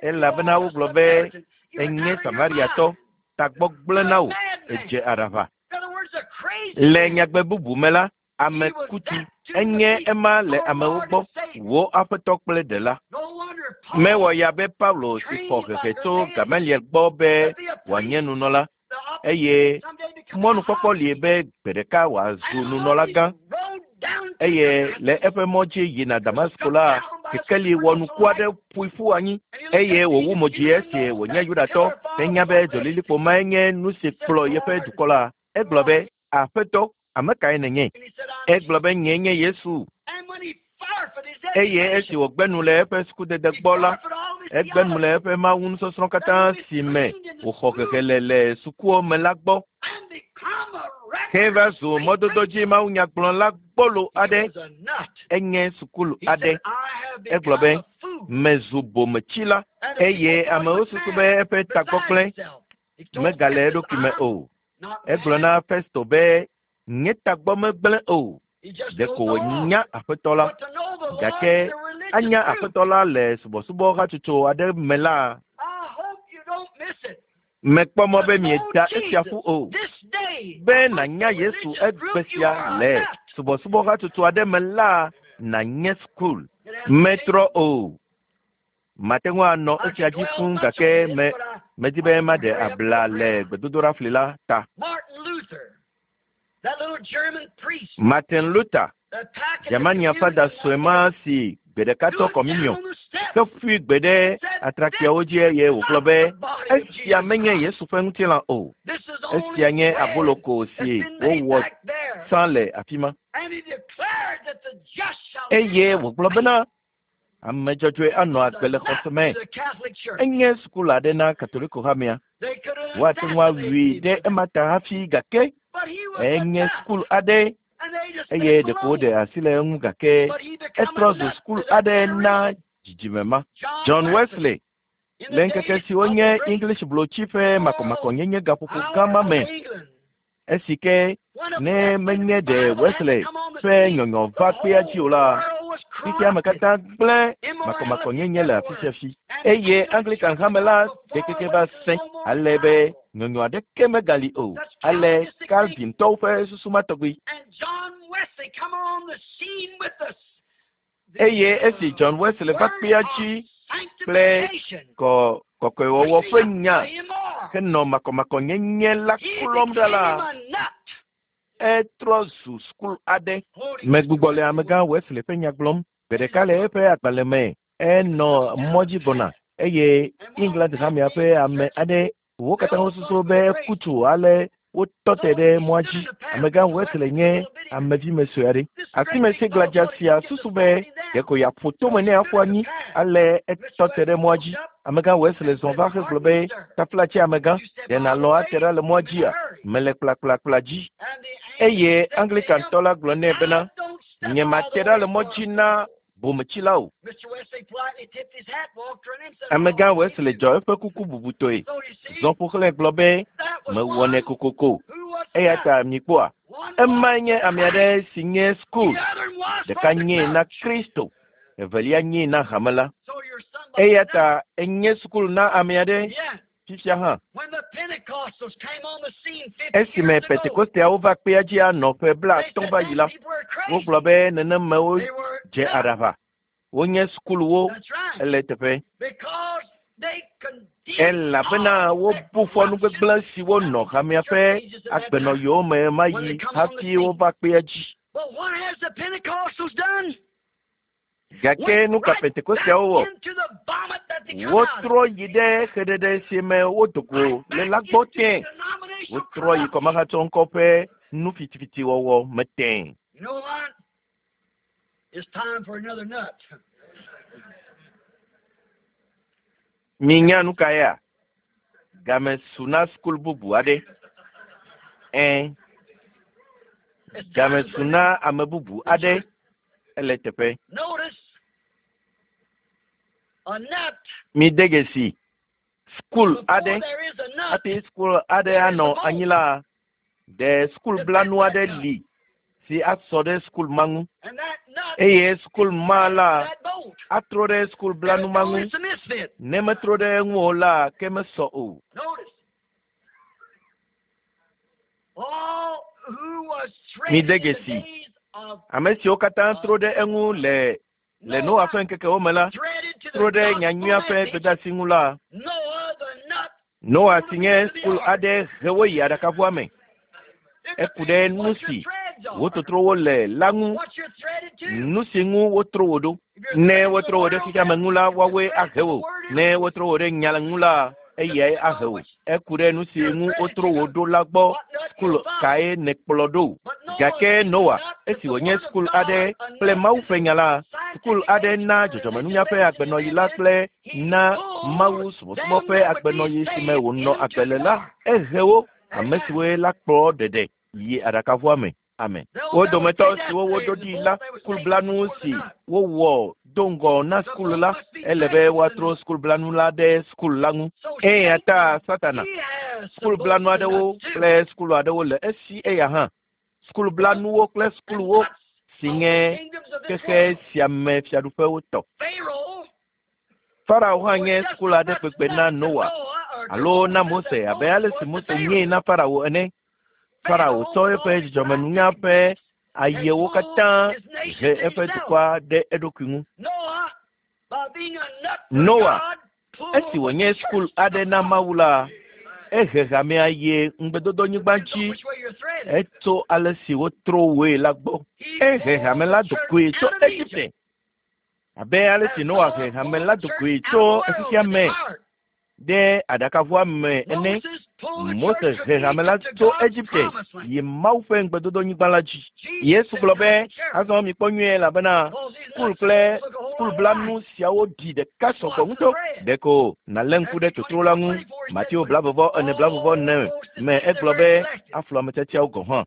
elabena wogblɔ be enye Samariatɔ, tagbɔ gblẽ na wò, edze aɖaʋa. Le nyagbe bubu me la, ame kutu enye ema le amewo gbɔ, wò aƒetɔ kple ɖela. Mewɔ ya be Paulo si xɔ hehe tso Gamaliel gbɔ be wòanye nunɔla eye mɔnukpɔkpɔ li be gbe ɖeka wòazu nunɔlagã eye le eƒe mɔ dzi yina Damasko la, kekeli wɔnuku aɖe ƒoe ƒu anyi eye wòwu mo dzi esi wònye Yudatɔ henya be dzolilikpo mae nye nu si kplɔ yeƒe dukɔ la. Egblɔ be, Aƒetɔ, ame kae nènye? Egblɔ be nyee nye Yesu. Eye esi wògbe nu le eƒe sukudede gbɔ la, Egbe nu le eƒe Mawu nusɔsrɔ̃ katã si me wòxɔ hehe le le sukuwo me la gbɔ. Heva zu mɔdodo dzi mawunyagblɔla gbɔlo aɖe. Enye sukulu aɖe. Egblɔ be, mezu bometsila eye amewo susu be eƒe tagbɔgblẽ megale eɖokui me o. Egblɔ na Festo be, nye tagbɔ megblẽ o. Ɖeko wònya Aƒetɔ la. Gake anya Aƒetɔ la le subɔsubɔ hatsotso aɖe me la, mekpɔ mɔ be mieda esia ƒu o. Be nànya Yesu egbe sia le subɔsubɔ hatsotso aɖe me la, nànye sukul. Metrɔ o. Mate ŋu anɔ esia dzi fũu gake me medi be maɖe abla le gbedodoɖafli la ta. Martin Luther, Germania fada sue ma si gbe ɖeka tɔ kɔminiɔ ke ƒui gbe ɖe atrakpuiawo dzi eye wògblɔ be esia menye Yesu ƒe ŋutilã o. Esia nye aboloko si wowɔ tsã le afi ma. Eye wògblɔ bena ame dzɔdzɔe anɔ agbe le xɔse me. Enye sukulu aɖe na Katoliko hamea. Woate ŋu awui ɖe ema ta hafi gake enye sukulu aɖe eye ɖeko woɖe asi le eŋu gake etrɔ zu sukulu aɖe na dzidzime ma. John Wesley le ŋkeke siwo nye English blotsi ƒe makɔmakɔnyenye gaƒoƒo gã ma me esi ke ne menye ɖe Wesley ƒe nyɔnyɔ va kpea dzi o la, xexea me katã gblẽ makɔmakɔnyenye le afi sia fi. Eye Anglican hame la ɖekeke va sẽ ale be nyɔnyɔ aɖeke megali o. Ale Calvintɔwo ƒe susu ma tɔgbi. Eye esi John Wesley va kpea dzi kple kɔkɔewɔwɔ ƒe nya henɔ makɔmakɔnyenye la klɔm ɖa la, etrɔ zu sukulu aɖe. Megbugbɔ le amegã Wesley ƒe nya gblɔm. Gbe ɖeka le eƒe agbalẽ me, enɔ mɔ dzi gbɔna eye England hamea ƒe ame aɖe wo katã wosusu be eku tso ale wotɔ te ɖe mɔa dzi. Amegã Wesley nye amevime sue aɖe. Asime si gladza sia susu be ɖeko yeaƒo tome ne aƒu anyi ale etɔ te ɖe mɔa dzi. Amegã Wesley zɔ va hegblɔ be taflatse amegã, ɖe nàlɔ̃ ate ɖa le mɔa dzia? Mele kplakplakpla dzi. Eye Anglicantɔ la gblɔ nɛ bena, nye mate ɖa le mɔ dzi na bometsila o. Amegã Wesley dzɔ eƒe kuku bubutɔe. Zɔ ƒo xlãe gblɔ be, mewɔnɛ kokoko. Eya ta mikpɔa, emae nye ame aɖe si nye sukul. Ɖeka nyee na Kristo, evelia nyee na hame la. Eya ta enye sukulu na ame aɖe fifia hã. Esime Pentekosteawo va kpea dzi anɔ ƒe 50 va yi la, wogblɔ be nenemewo dze aɖaʋa. Wonye sukuluwo ele teƒe. Elabena wobu fɔ nu gbegblẽ siwo nɔ hamea ƒe agbenɔɣiwo me ma yi hafi wova kpea dzi. Gake nu ka Pentekosteawo wɔ? Wotrɔ yi ɖe xeɖeɖe si me wodo go le la gbɔ tẽ. Wotrɔ yi kɔmahatsɔ ŋkɔ ƒe nu fitifitiwɔwɔ me tẽ. Minya nu ka ya? Game su na sukulu bubu aɖe. Game su na ame bubu aɖe. Ele teƒe. Mi de dzesi sukulu aɖe. Hafi sukulu aɖe anɔ anyi la, ɖe sukulu blanu aɖe li si asɔ ɖe sukulu ma ŋu. Eye sukulu ma la atrɔ ɖe sukulu blanu ma ŋu. Ne metrɔ ɖe eŋu o la, ke mesɔ o. Mi de dzesi ame siwo katã trɔ ɖe eŋu le Noa ƒe ŋkekewo me la, trɔ ɖe nyanyuia ƒe gbedeasi ŋu la, Noa si nye sukulu aɖe he wo yi aɖakaʋua me. Eku ɖe nu si wototro wo le la ŋu, nu si ŋu wotro wo ɖo. Ne wotro wo ɖe xexeame ŋu la, woawoe ahe wo. Ne wotro wo ɖe nya ŋu la, eyae ahe wo. Eku ɖe nu si ŋu wotro wo ɖo la gbɔ. Sukulu kae nèkplɔ ɖo? Gake Noa, Esi wònye sukulu aɖe kple Mawu ƒe nya la, sukulu aɖe na dzɔdzɔmenunya ƒe agbenɔɣi la kple na Mawu subɔsubɔ ƒe agbenɔɣi si me wònɔ agbe le la, ehe wo, ame siwoe la kplɔ ɖeɖe yi aɖakaʋua me. Amen. Wo dometɔ siwo woɖo ɖi la, sukulublanu si wowɔ do ŋgɔ na sukulu la, ele be woatrɔ sukulublanu la ɖe sukulu la ŋu. Eya ta Satana, sukulublanu aɖewo kple sukulu aɖewo le esi eya hã. Sukulublanuwo kple sukuluwo si nye xexe sia me fiaɖuƒewo tɔ. Farao hã nye sukulu aɖe kpekpe na Noa alo na Mose abe ale si Mose nyee na Farao ene. Farao tsɔ eƒe dzɔdzɔmenunya ƒe ayewo katã he eƒe dukɔa ɖe eɖokui ŋu. Noa, esi wònye sukulu aɖe na Mawu la, ehe hamea yi ŋugbedodonyigba dzi etso ale si wotro woe la gbɔ. Ehe hame la do goe tso Egipte abe ale si Noa he hame la do goe tso xexea me ɖe aɖakaʋua me ene. Mose he hame la tso Egipte yi Mawu ƒe ŋugbedodonyigba la dzi. Yesu gblɔ be, azɔ mikpɔ nyuie elabena sukulu kple sukulublanu siawo ɖi ɖeka sɔgbɔ ŋutɔ. Ɖeko nàlé ŋku ɖe totro la ŋu. Mateo 24 44 me egblɔ be aflu ame tiatiawo gɔ̃ hã.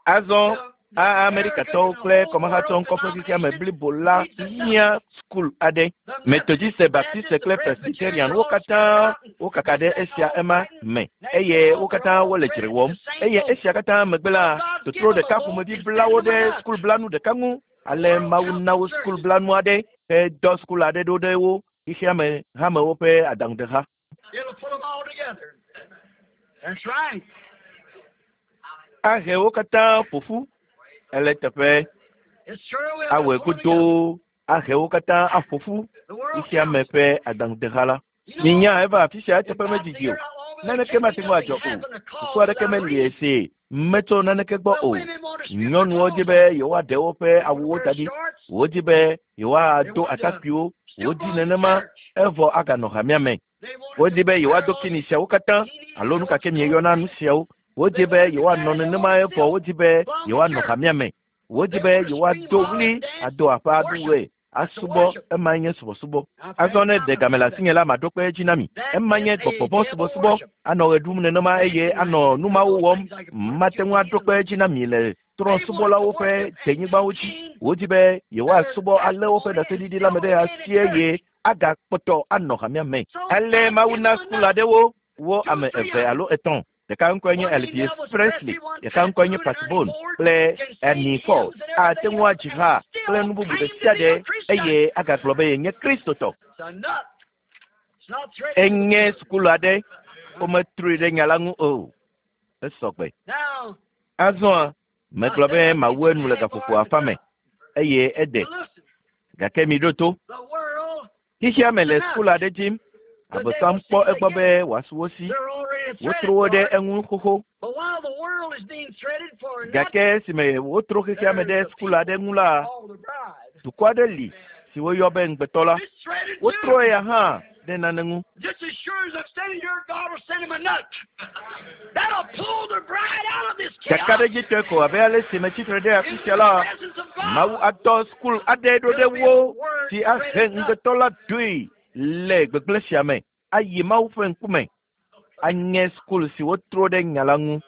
Azɔ Amerikatɔwo kple kɔmahatsɔ ŋkɔ ƒe xexeame blibo la hiã sukulu aɖe. Metodiste, Baptiste kple Presbyterian wo katã wokaka ɖe esia ema me eye wo katã wole dzre wɔm. Eye esia katã megbe la, totro ɖeka ƒomevi bla wo ɖe sukulublanu ɖeka ŋu. Ale Mawu na wo sukulublanu aɖe hedɔ sukulu aɖe ɖo ɖe wo xexeame hamewo ƒe adaŋudeha. Ahe wo katã ƒo ƒu. Ele teƒe. Awɔe godoo. Ahe wo katã aƒo ƒu. Xexeame ƒe adaŋudeha la. Minya eva afi sia eteƒe medidi o. Naneke mate ŋu adzɔ o. Susu aɖeke meli esi metso naneke gbɔ o. Nyɔnuwo di be yewoaɖe woƒe awuwo da ɖi. Wodi be yewoado atakpuiwo. Wodi nenema evɔ aganɔ hamea me. Wodi be yewoado kini siawo katã alo nu ka ke mieyɔna nu siawo. Wodi be yewoanɔ nenema evɔ wodi be yewoanɔ hamea me. Wodi be yewoado ɣli ado aƒe aɖu ɣe asubɔ. Emae nye subɔsubɔ. Azɔ ne ɖe game le asinye la, maɖo kpe edzi na mi. Ema nye gbɔgbɔ vɔ̃ subɔsubɔ. Anɔ ɣe ɖum nenema eye anɔ nu mawo wɔm. Mate ŋu aɖo kpe edzi na mi le trɔ̃subɔlawo ƒe denyigbawo dzi. Wodi be yewoasubɔ alé woƒe ɖaseɖiɖi la me ɖe asi eye agakpɔtɔ anɔ hamea me. Ale Mawu na sukulu aɖewo wo ame eve alo etɔ̃. Ɖeka ŋkɔe nye Elvis Presley, ɖeka ŋkɔe nye Pat Boone kple Ernie Ford. Ate ŋu adzi ha kple nu bubu ɖe sia ɖe eye agagblɔ be yenye Kristotɔ. Enye sukulu aɖe, wometrɔe ɖe nya la ŋu o. Esɔ gbe. Azɔa, megblɔ be mawu enu le gaƒoƒo afã me eye ede. Gake miɖo to. Xexea me le sukulu aɖe dim. Abosam kpɔ egbɔ be wòasu wo si. Wotro wo ɖe eŋu xoxo. Gake esime wotro xexea me ɖe sukulu aɖe ŋu la, dukɔ aɖe li si woyɔ be ŋugbetɔ la. Wotrɔ eya hã ɖe nane ŋu. Kakaɖedzitɔe ko abe ale si metsi tre ɖe afi sia la, Mawu adɔ sukulu aɖe ɖo ɖe wo si ahe ŋugbetɔ la doe le gbegblẽ sia me ayi Mawu ƒe ŋkume. Anye sukulu si wotro ɖe nya la ŋu.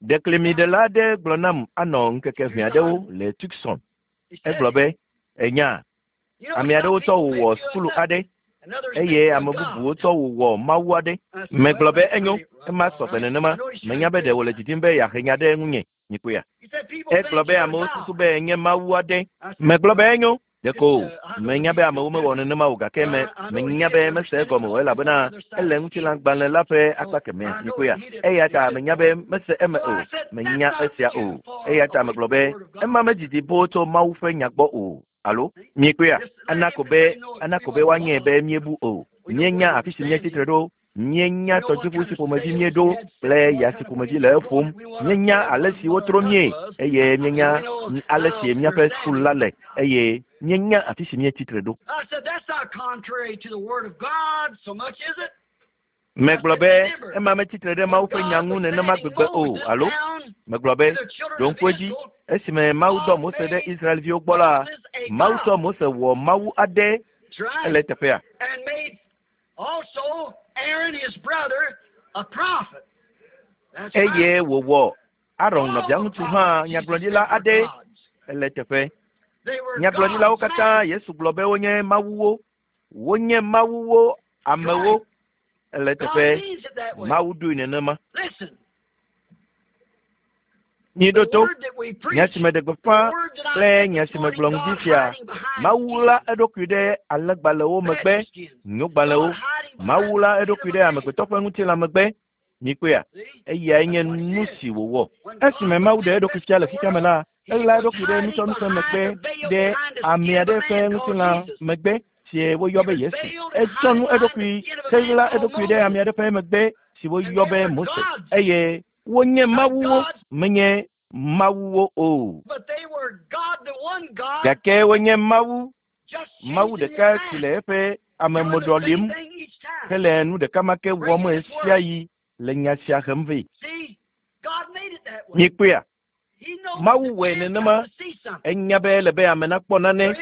Ɖeklemiɖela aɖe gblɔ nam anɔ ŋkeke ʋɛ aɖewo le Tucson. Egblɔ be, Ènya, ame aɖewo tsɔ wò wɔ sukulu aɖe eye ame bubuwo tsɔ wò wɔ mawu aɖe. Megblɔ be enyo, ema sɔgbe nenema. Menya be ɖe wòle didim be yeahe nya ɖe ŋunye. Mikpɔea? Egblɔ be amewo susu be enye mawu aɖe. Megblɔ be enyo. Ɖeko menya be amewo mewɔ nenema o gake me menya be mese egɔme o elabena ele ŋutilãgbalẽ la ƒe akpa kemɛ. Mikpɔea? Eya ta menya be mese eme o. Menya esia o. Eya ta megblɔ be ema medidi boo tso Mawu ƒe nya gbɔ o. Alo miekpɔea? Ana ko be ana ko be woanyɛ be míebu o. Míenya afi si míetsi tre ɖo. Míenya tɔdziʋu si ƒomevi míeɖo kple ya si ƒomevi le eƒom. Míenya ale si wotro míe eye míenya ale si míaƒe sukulu la le eye míenya afi si míetsi tre ɖo. Megblɔ be ema metsi tre ɖe Mawu ƒe nya ŋu nenema gbegbe o, alo? Megblɔ be, ɖo ŋku edzi, esime Mawu dɔ Mose ɖe Israelviwo gbɔ la, Mawu tsɔ Mose wɔ Mawu aɖe ele eteƒea. Eye wòwɔ Aron nɔviaŋutsu hã nyagblɔɖila aɖe ele eteƒe. Nyagblɔɖilawo katã Yesu gblɔ be wonye mawuwo. Wonye mawuwo amewo ele eteƒe. Mawu ɖoe nenema. Miɖo to nya si meɖe gbeƒã kple nya si megblɔ ŋdi sia. Mawu ɣla eɖokui ɖe alẽgbalẽwo megbe, nyogbalẽwo. Mawu ɣla eɖokui ɖe amegbetɔ ƒe ŋutilã megbe. Mikpɔea? Eyae nye nu si wòwɔ. Esime Mawu ɖe eɖokui fia le xexea me la, eɣla eɖokui ɖe nutsɔnu megbe ɖe ame aɖe ƒe ŋutilã megbe si woyɔ be Yesu. Etsɔ nu eɖokui heɣla eɖokui ɖe ame aɖe ƒe megbe si woyɔ be Mose eye wonye mawuwo, menye mawuwo o. Gake wonye Mawu, Mawu ɖeka si le eƒe amemoɖɔ lim hele nu ɖeka ma ke wɔm ɣesiaɣi le nya sia hem vɛ. Mikpɔea? Mawu wɔe nenema. Enya be ele be ame nakpɔ nane.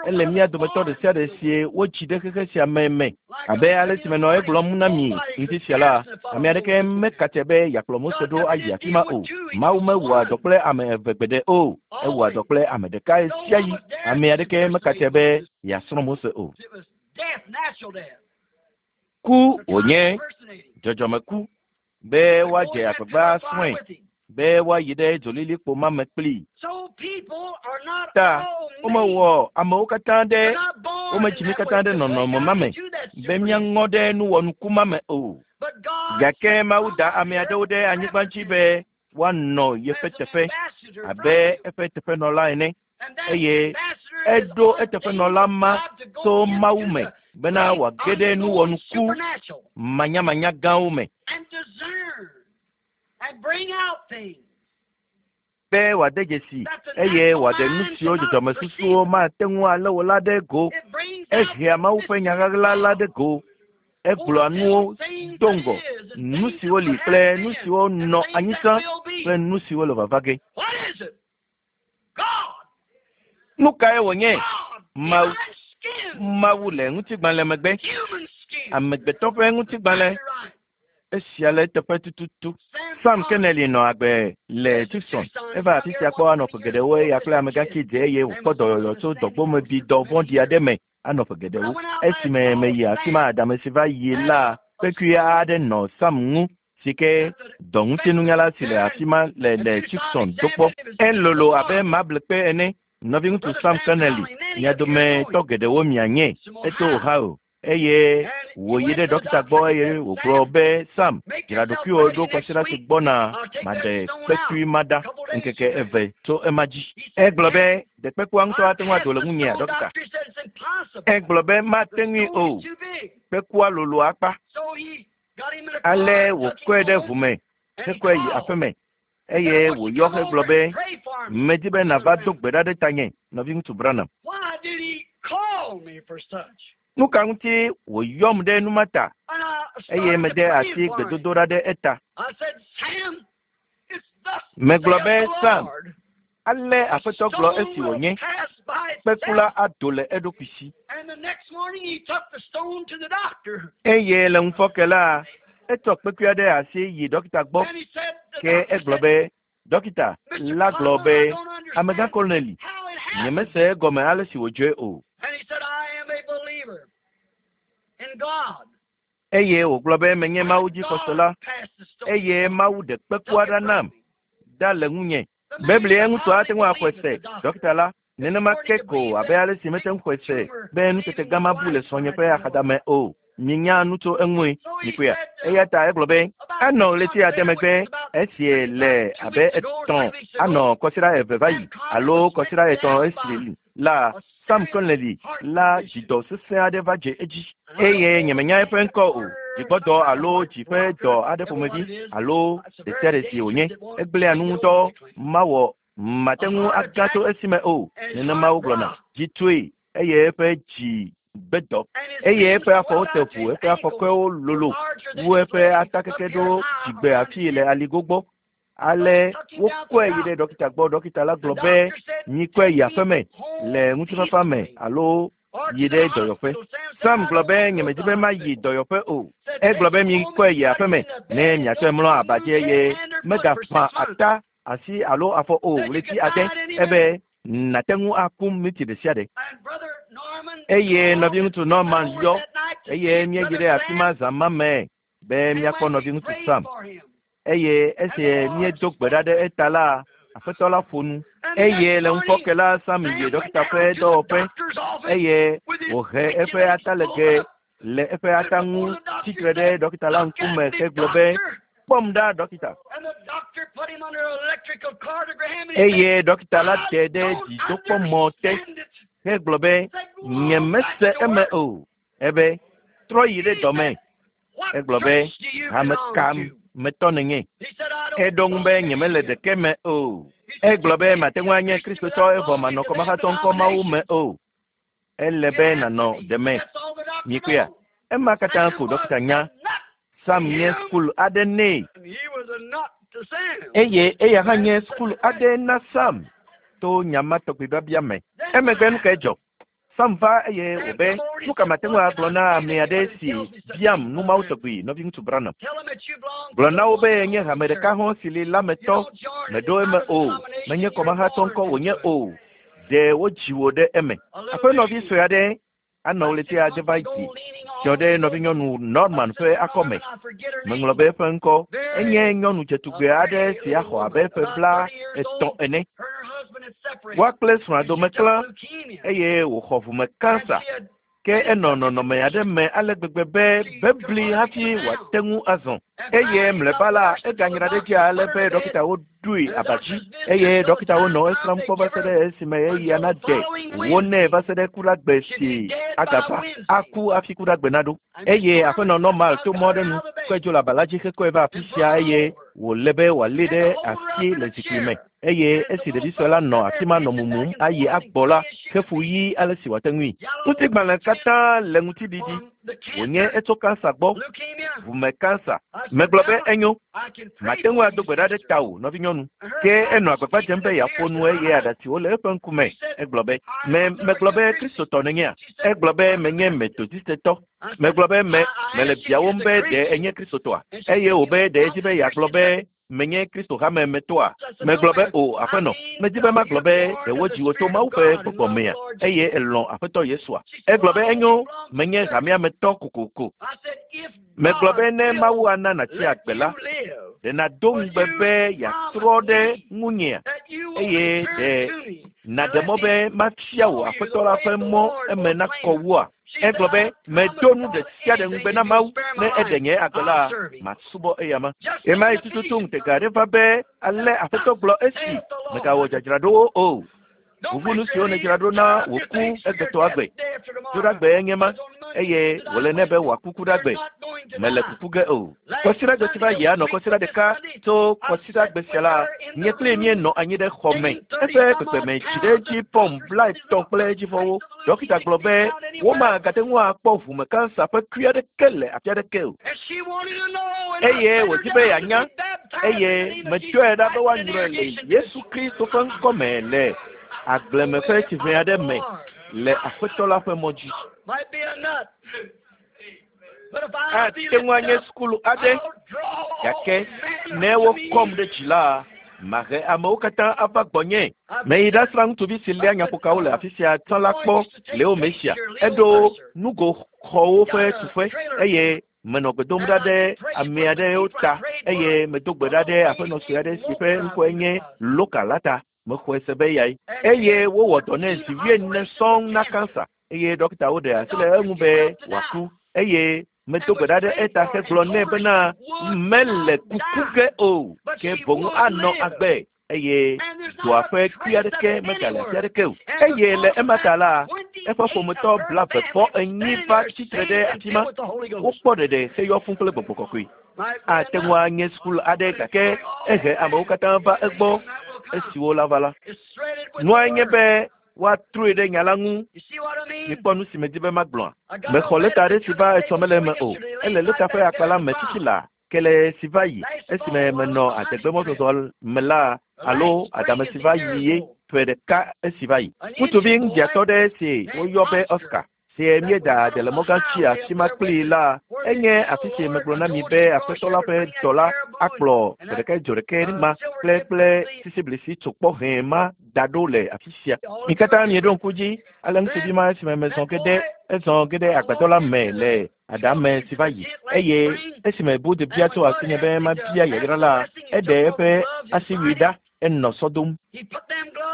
Ele mía dometɔ ɖe sia ɖe sie wotsi ɖe xexe sia me me. Abe ale si menɔ egblɔm na mi ŋdi sia la, ame aɖeke mekatse be yeakplɔ Mose ɖo ayi afi ma o. Mawu mewɔa dɔ kple ame eve gbeɖe o. Ewɔa dɔ kple ame ɖeka ɣesiaɣi. Ame aɖeke mekatse be yeasrɔ̃ Mose o. Ku wònye, dzɔdzɔmeku, be woadze agbagba asrɔ̃e, be woayi ɖe dzolilikpo ma me kplii. Ta womewɔ amewo katã ɖe womedzi mí katã ɖe nɔnɔme ma me be míaŋɔ ɖe nuwɔnuku ma me o. Gake Mawu da ame aɖewo ɖe anyigba dzi be woanɔ yeƒe teƒe abe eƒe teƒenɔla ene. Eye eɖo eteƒenɔla ma tso Mawu me bena wòage ɖe nuwɔnuku manyamanya gãwo me. Be wòade dzesi eye wòaɖe nu siwo dzɔdzɔmesusuwo mate ŋu alé o la ɖe go. Ehea Mawu ƒe nya ɣaɣla la ɖe go. Egblɔa nuwo do ŋgɔ, nu siwo li kple nu siwo nɔ anyi tsã kple nu siwo le vava ge. Nu kae wònye? Mawu. Mawu le ŋutigbalẽ megbe. Amegbetɔ ƒe ŋutigbalẽ. Esia le eteƒe tututu. Sam Kennelly nɔ agbe le Tucson. Eva afi sia kpɔ anɔ ƒe geɖewo eya kple amegãxi dze eye wòkpɔ dɔyɔyɔ tso dɔgbomebidɔ vɔ̃ɖi aɖe me anɔ ƒe geɖewo. Esime meyi afi ma adame si va yi la, kpekui aɖe nɔ Sam ŋu si ke dɔŋutinunyala si le afi ma le le Tucson do kpɔ. Elolo abe mablikpe ene. Nɔviŋutsu Sam Connelly, mia dometɔ geɖewo mianye, eto Ohio, eye wòyi ɖe ɖɔkita gbɔ eye wògblɔ be, Sam, dzra ɖokuiwò ɖo kwasiɖa si gbɔna maɖe kpekui ma ɖa ŋkeke eve tso ema dzi. Egblɔ be, Ɖe kpekua ŋutɔ ate ŋu ado le ŋunyea, ɖɔkita? Egblɔ be, Mate ŋui o. Kpekua lolo akpa. Ale wòkɔe ɖe ʋu me hekɔe yi aƒeme eye wòyɔ hegblɔ be, Medi be nàva do gbe ɖa ɖe tanye, Nɔviŋutsu Branham. Nu ka ŋuti wòyɔm ɖe nu ma ta? Eye mede asi gbedodoɖa ɖe eta. Megblɔ be, Sam, ale Aƒetɔ gblɔ esi wònye, kpekula ado le eɖokui si. Eye le ŋufɔke la, etsɔ kpekuia ɖe asi yi ɖɔkita gbɔ. Ke egblɔ be, Ɖɔkita la gblɔ be, Amegã Koloneli, nyemese egɔme ale si wòdzɔe o. Eye wògblɔ be menye Mawu dzixɔsela, eye Mawu ɖe kpekua ɖa nam ɖa le ŋunye. Biblia ŋutsu ate ŋu axɔe se, ɖɔkita la, nenema ke ko abe ale si mete ŋu xɔe se be nutete gã ma bu le srɔ̃nye ƒe axadame o. Mienya nu tso eŋue, mikpɔea? Eya ta egblɔ be anɔ ɣleti ade megbe esie le abe etɔ̃ anɔ kɔsiɖa eve va yi alo kɔsiɖa etɔ̃ esi la Sam Connelly la dzidɔ sesẽ aɖe va dze edzi eye nyemenya eƒe ŋkɔ o, dzigbɔdɔ alo dzi ƒe dɔ aɖe ƒomevi alo ɖesiaɖe si wònye. Egblẽa nu ŋutɔ. Mawɔ mate ŋu aga tso esime o, nenema wogblɔna. Dzi tui eye eƒe dzi gbe dɔ eye eƒe afɔwo te ʋu, eƒe afɔkɔewo lolo wu eƒe atakeke ɖo dzigbe afii le aligo gbɔ. Ale wokɔe yi ɖe ɖɔkita gbɔ. Ɖɔkita la gblɔ be mikɔe yi aƒeme le ŋutifafa me alo yi ɖe dɔyɔƒe. Sam gblɔ be nyemedi be mayi dɔyɔƒe o. Egblɔ be mikɔe yi aƒeme ne miatsɔe mlɔ aba dzi eye megaƒã ata asi alo afɔ o ɣleti ade ebe nate ŋu aku minti ɖe sia ɖe. Eye nɔviŋutsu Norman yɔ eye míeyi ɖe afi ma zã ma me be míakpɔ nɔviŋutsu Sam. Eye esi míedo gbe ɖa ɖe eta la, aƒetɔ la ƒo nu. Eye le ŋufɔke la, Sam yi ɖɔkita ƒe dɔwɔƒe eye wòhe eƒe atalege le eƒe ata ŋu tsitre ɖe ɖɔkita la ŋkume hegblɔ be, kpɔm ɖa ɖɔkita. Eye ɖɔkita la te ɖe dzidokpɔmɔ te hegblɔ be, nyemese eme o. Ebe, trɔ yi ɖe dɔme. Egblɔ be, hame ka metɔ nènye? Eɖo ŋu be nyemele ɖeke me o. Egblɔ be mate ŋu anye Kristotɔ evɔ manɔ kɔmahatsɔ ŋkɔ Mawu me o. Ele be nànɔ ɖeme. Mikpɔea? Ema katã ko ɖɔkita nya. Sam nye sukulu aɖe nɛ. Eye eya hã nye sukulu aɖe na Sam to nya ma tɔgbi biabia me. Emegbe nu kae dzɔ? Sam va eye wòbe, nu ka mate ŋu agblɔ na ame aɖe si biam nu mawo tɔgbi, nɔviŋutsu Branham? Gblɔ na wo be nye hame ɖeka hɔ̃ si li la me tɔ, meɖo eme o, menye kɔmahatsɔ ŋkɔ wònye o. Ɖe wodzi wò ɖe eme. Aƒenɔvi sue aɖe anɔ ɣleti ade va yi dzɔ ɖe nɔvinyɔnu Norman ƒe akɔme. Meŋlɔ be eƒe ŋkɔ. Enye nyɔnu dzetugbe aɖe si axɔ abe ƒe 30 ene. Woa kple srɔ̃a dome klã eye wòxɔ ʋume kansa. Ke enɔ nɔnɔme aɖe me ale gbegbe be bebli hafi wòate ŋu azɔ. Eye mlɔeba la, eganyra ɖe edzi ale be ɖɔkitawo ɖoe aba dzi eye ɖɔkitawo nɔ esrãm kpɔ va se ɖe esime ɣeyiɣia nade wo nɛ va se ɖe kuɖagbe si agava aku hafi kuɖagbe naɖo. Eye aƒenɔ Normal to mɔ aɖe nu kɔe dzo le aba la dzi hekɔe va afi sia eye wòle be wòalée ɖe asi le zikpui me. Eye esi ɖevi sue la nɔ afi ma nɔ mumum ayi agbɔ la, hefu ɣi ale si wòate ŋui. Ŋutigbalẽ katã le ŋutiɖiɖi. Wònye etso kansa gbɔ, ʋume kansa. Megblɔ be enyo, mate ŋu ado gbe ɖa ɖe tawò, nɔvinyɔnu. Ke enɔ agbagba dzem be yeaƒo nu eye aɖatsiwo le eƒe ŋkume. Egblɔ be, me megblɔ be Kristotɔ nènyea? Egblɔ be menye Metodistetɔ. Megblɔ be me mele biawòm be ɖe enye Kristotɔa? Eye wòbe ɖe edzi be yeagblɔ be menye Kristo hame me tɔa? Megblɔ be o, aƒenɔ. Medi be magblɔ be ɖe wodzi wò tso Mawu ƒe gbɔgbɔ mea? Eye elɔ̃ Aƒetɔ Yesua. Egblɔ be enyo, menye hamea me tɔ kokoko. Megblɔ be ne Mawu ana nàtsi agbe la, ɖe nàdo ŋugbe be yeatrɔ ɖe ŋunyea? Eye ɖe nàɖe mɔ be mafia wò Aƒetɔ la ƒe mɔ eme nakɔ wua? Egblɔ be medo nu ɖe sia ɖe ŋugbe na Mawu ne eɖe nye agbe la, masubɔ eyama. Ɣemaɣi tututu ŋutega aɖe va be ale Aƒetɔ gblɔ esi megawɔ dzadzraɖowo o. Ʋuʋu nu siwo nèdzra ɖo na wò ku egbetɔ agbe. Dzoɖagbe enye ma eye wòle nɛ be wòaku kuɖagbe. Mele kuku ge o. Kɔsiɖagbe si va yia nɔ kɔsiɖa ɖeka tso kɔsiɖagbe sia la, nye kpli míenɔ anyi ɖe xɔ me. Eƒe kpekpeme dzi ɖe edzi pɔm 30 kple edzivɔwo. Ɖɔkita gblɔ be womagate ŋu akpɔ ʋume kansa ƒe kui aɖeke le afi aɖeke o. Eye wòdi be yeanya eye metsɔe ɖa be woanyrɔe le Yesu Kristo ƒe ŋkɔme le agbleme ƒe tsiʋe aɖe me le Aƒetɔ la ƒe mɔ dzi. Ate ŋu anye sukulu aɖe gake ne wokɔm ɖe dzi la, mahe amewo katã ava gbɔnye. Meyi ɖasrã ŋutsuvi si léa nyaƒokawo le afi sia tsã la kpɔ Leo Mesia. Eɖo nugoxɔwo ƒe tuƒe eye menɔ gbe dom ɖa ɖe ame aɖewo ta eye medo gbe ɖa ɖe aƒenɔ sue aɖe si ƒe ŋkɔe nye Loka la ta. Mexɔe se be eyae. Eye wowɔ dɔ nɛ zi 40 sɔŋ na kansa eye ɖɔkitawo ɖe asi le eŋu be wòaku eye medo gbe ɖa ɖe eta hegblɔ nɛ bena mele kuku ge o ke boŋ anɔ agbe eye dɔa ƒe kui aɖeke megale afi aɖeke o. Eye le ema ta la, eƒe ƒometɔ 44 va tsitre ɖe afi ma. Wokpɔ ɖeɖe heyɔ fũ kple gbɔgbɔ kɔkɔe. Ate ŋu anye sukulu aɖe gake ehe amewo katã va egbɔ esiwo la va la. Nua nye be woatrɔe ɖe nya la ŋu. Mikpɔ nu si medi be magblɔa. Mexɔ lɛta aɖe si va etsɔ mele eme o. Ele lɛta ƒe akpa la me fifi laa. Kele si va yi esime menɔ adegbemɔzɔzɔ me la alo adame si va yi ye ƒe ɖeka esi va yi. Ŋutsuvi ŋdiatɔ ɖe si woyɔ be Oscar si míeda ade le mɔgã tsi afi ma kplii la, enye afi si megblɔ na mi be aƒetɔ la ƒe dɔla akplɔ ƒe ɖeka dzo ɖeke ma kple sisiblisi tsokpɔ hɛ̃ ma da ɖo le afi sia. Mi katã mieɖo ŋku dzi ale ŋutsuvi ma esime mezɔ ge ɖe ezɔ ge ɖe agbadɔ la me le adame si va yi eye esime Bud bia tso asinye be mabia yayra la, eɖe eƒe asiwui ɖa enɔ sɔ dom.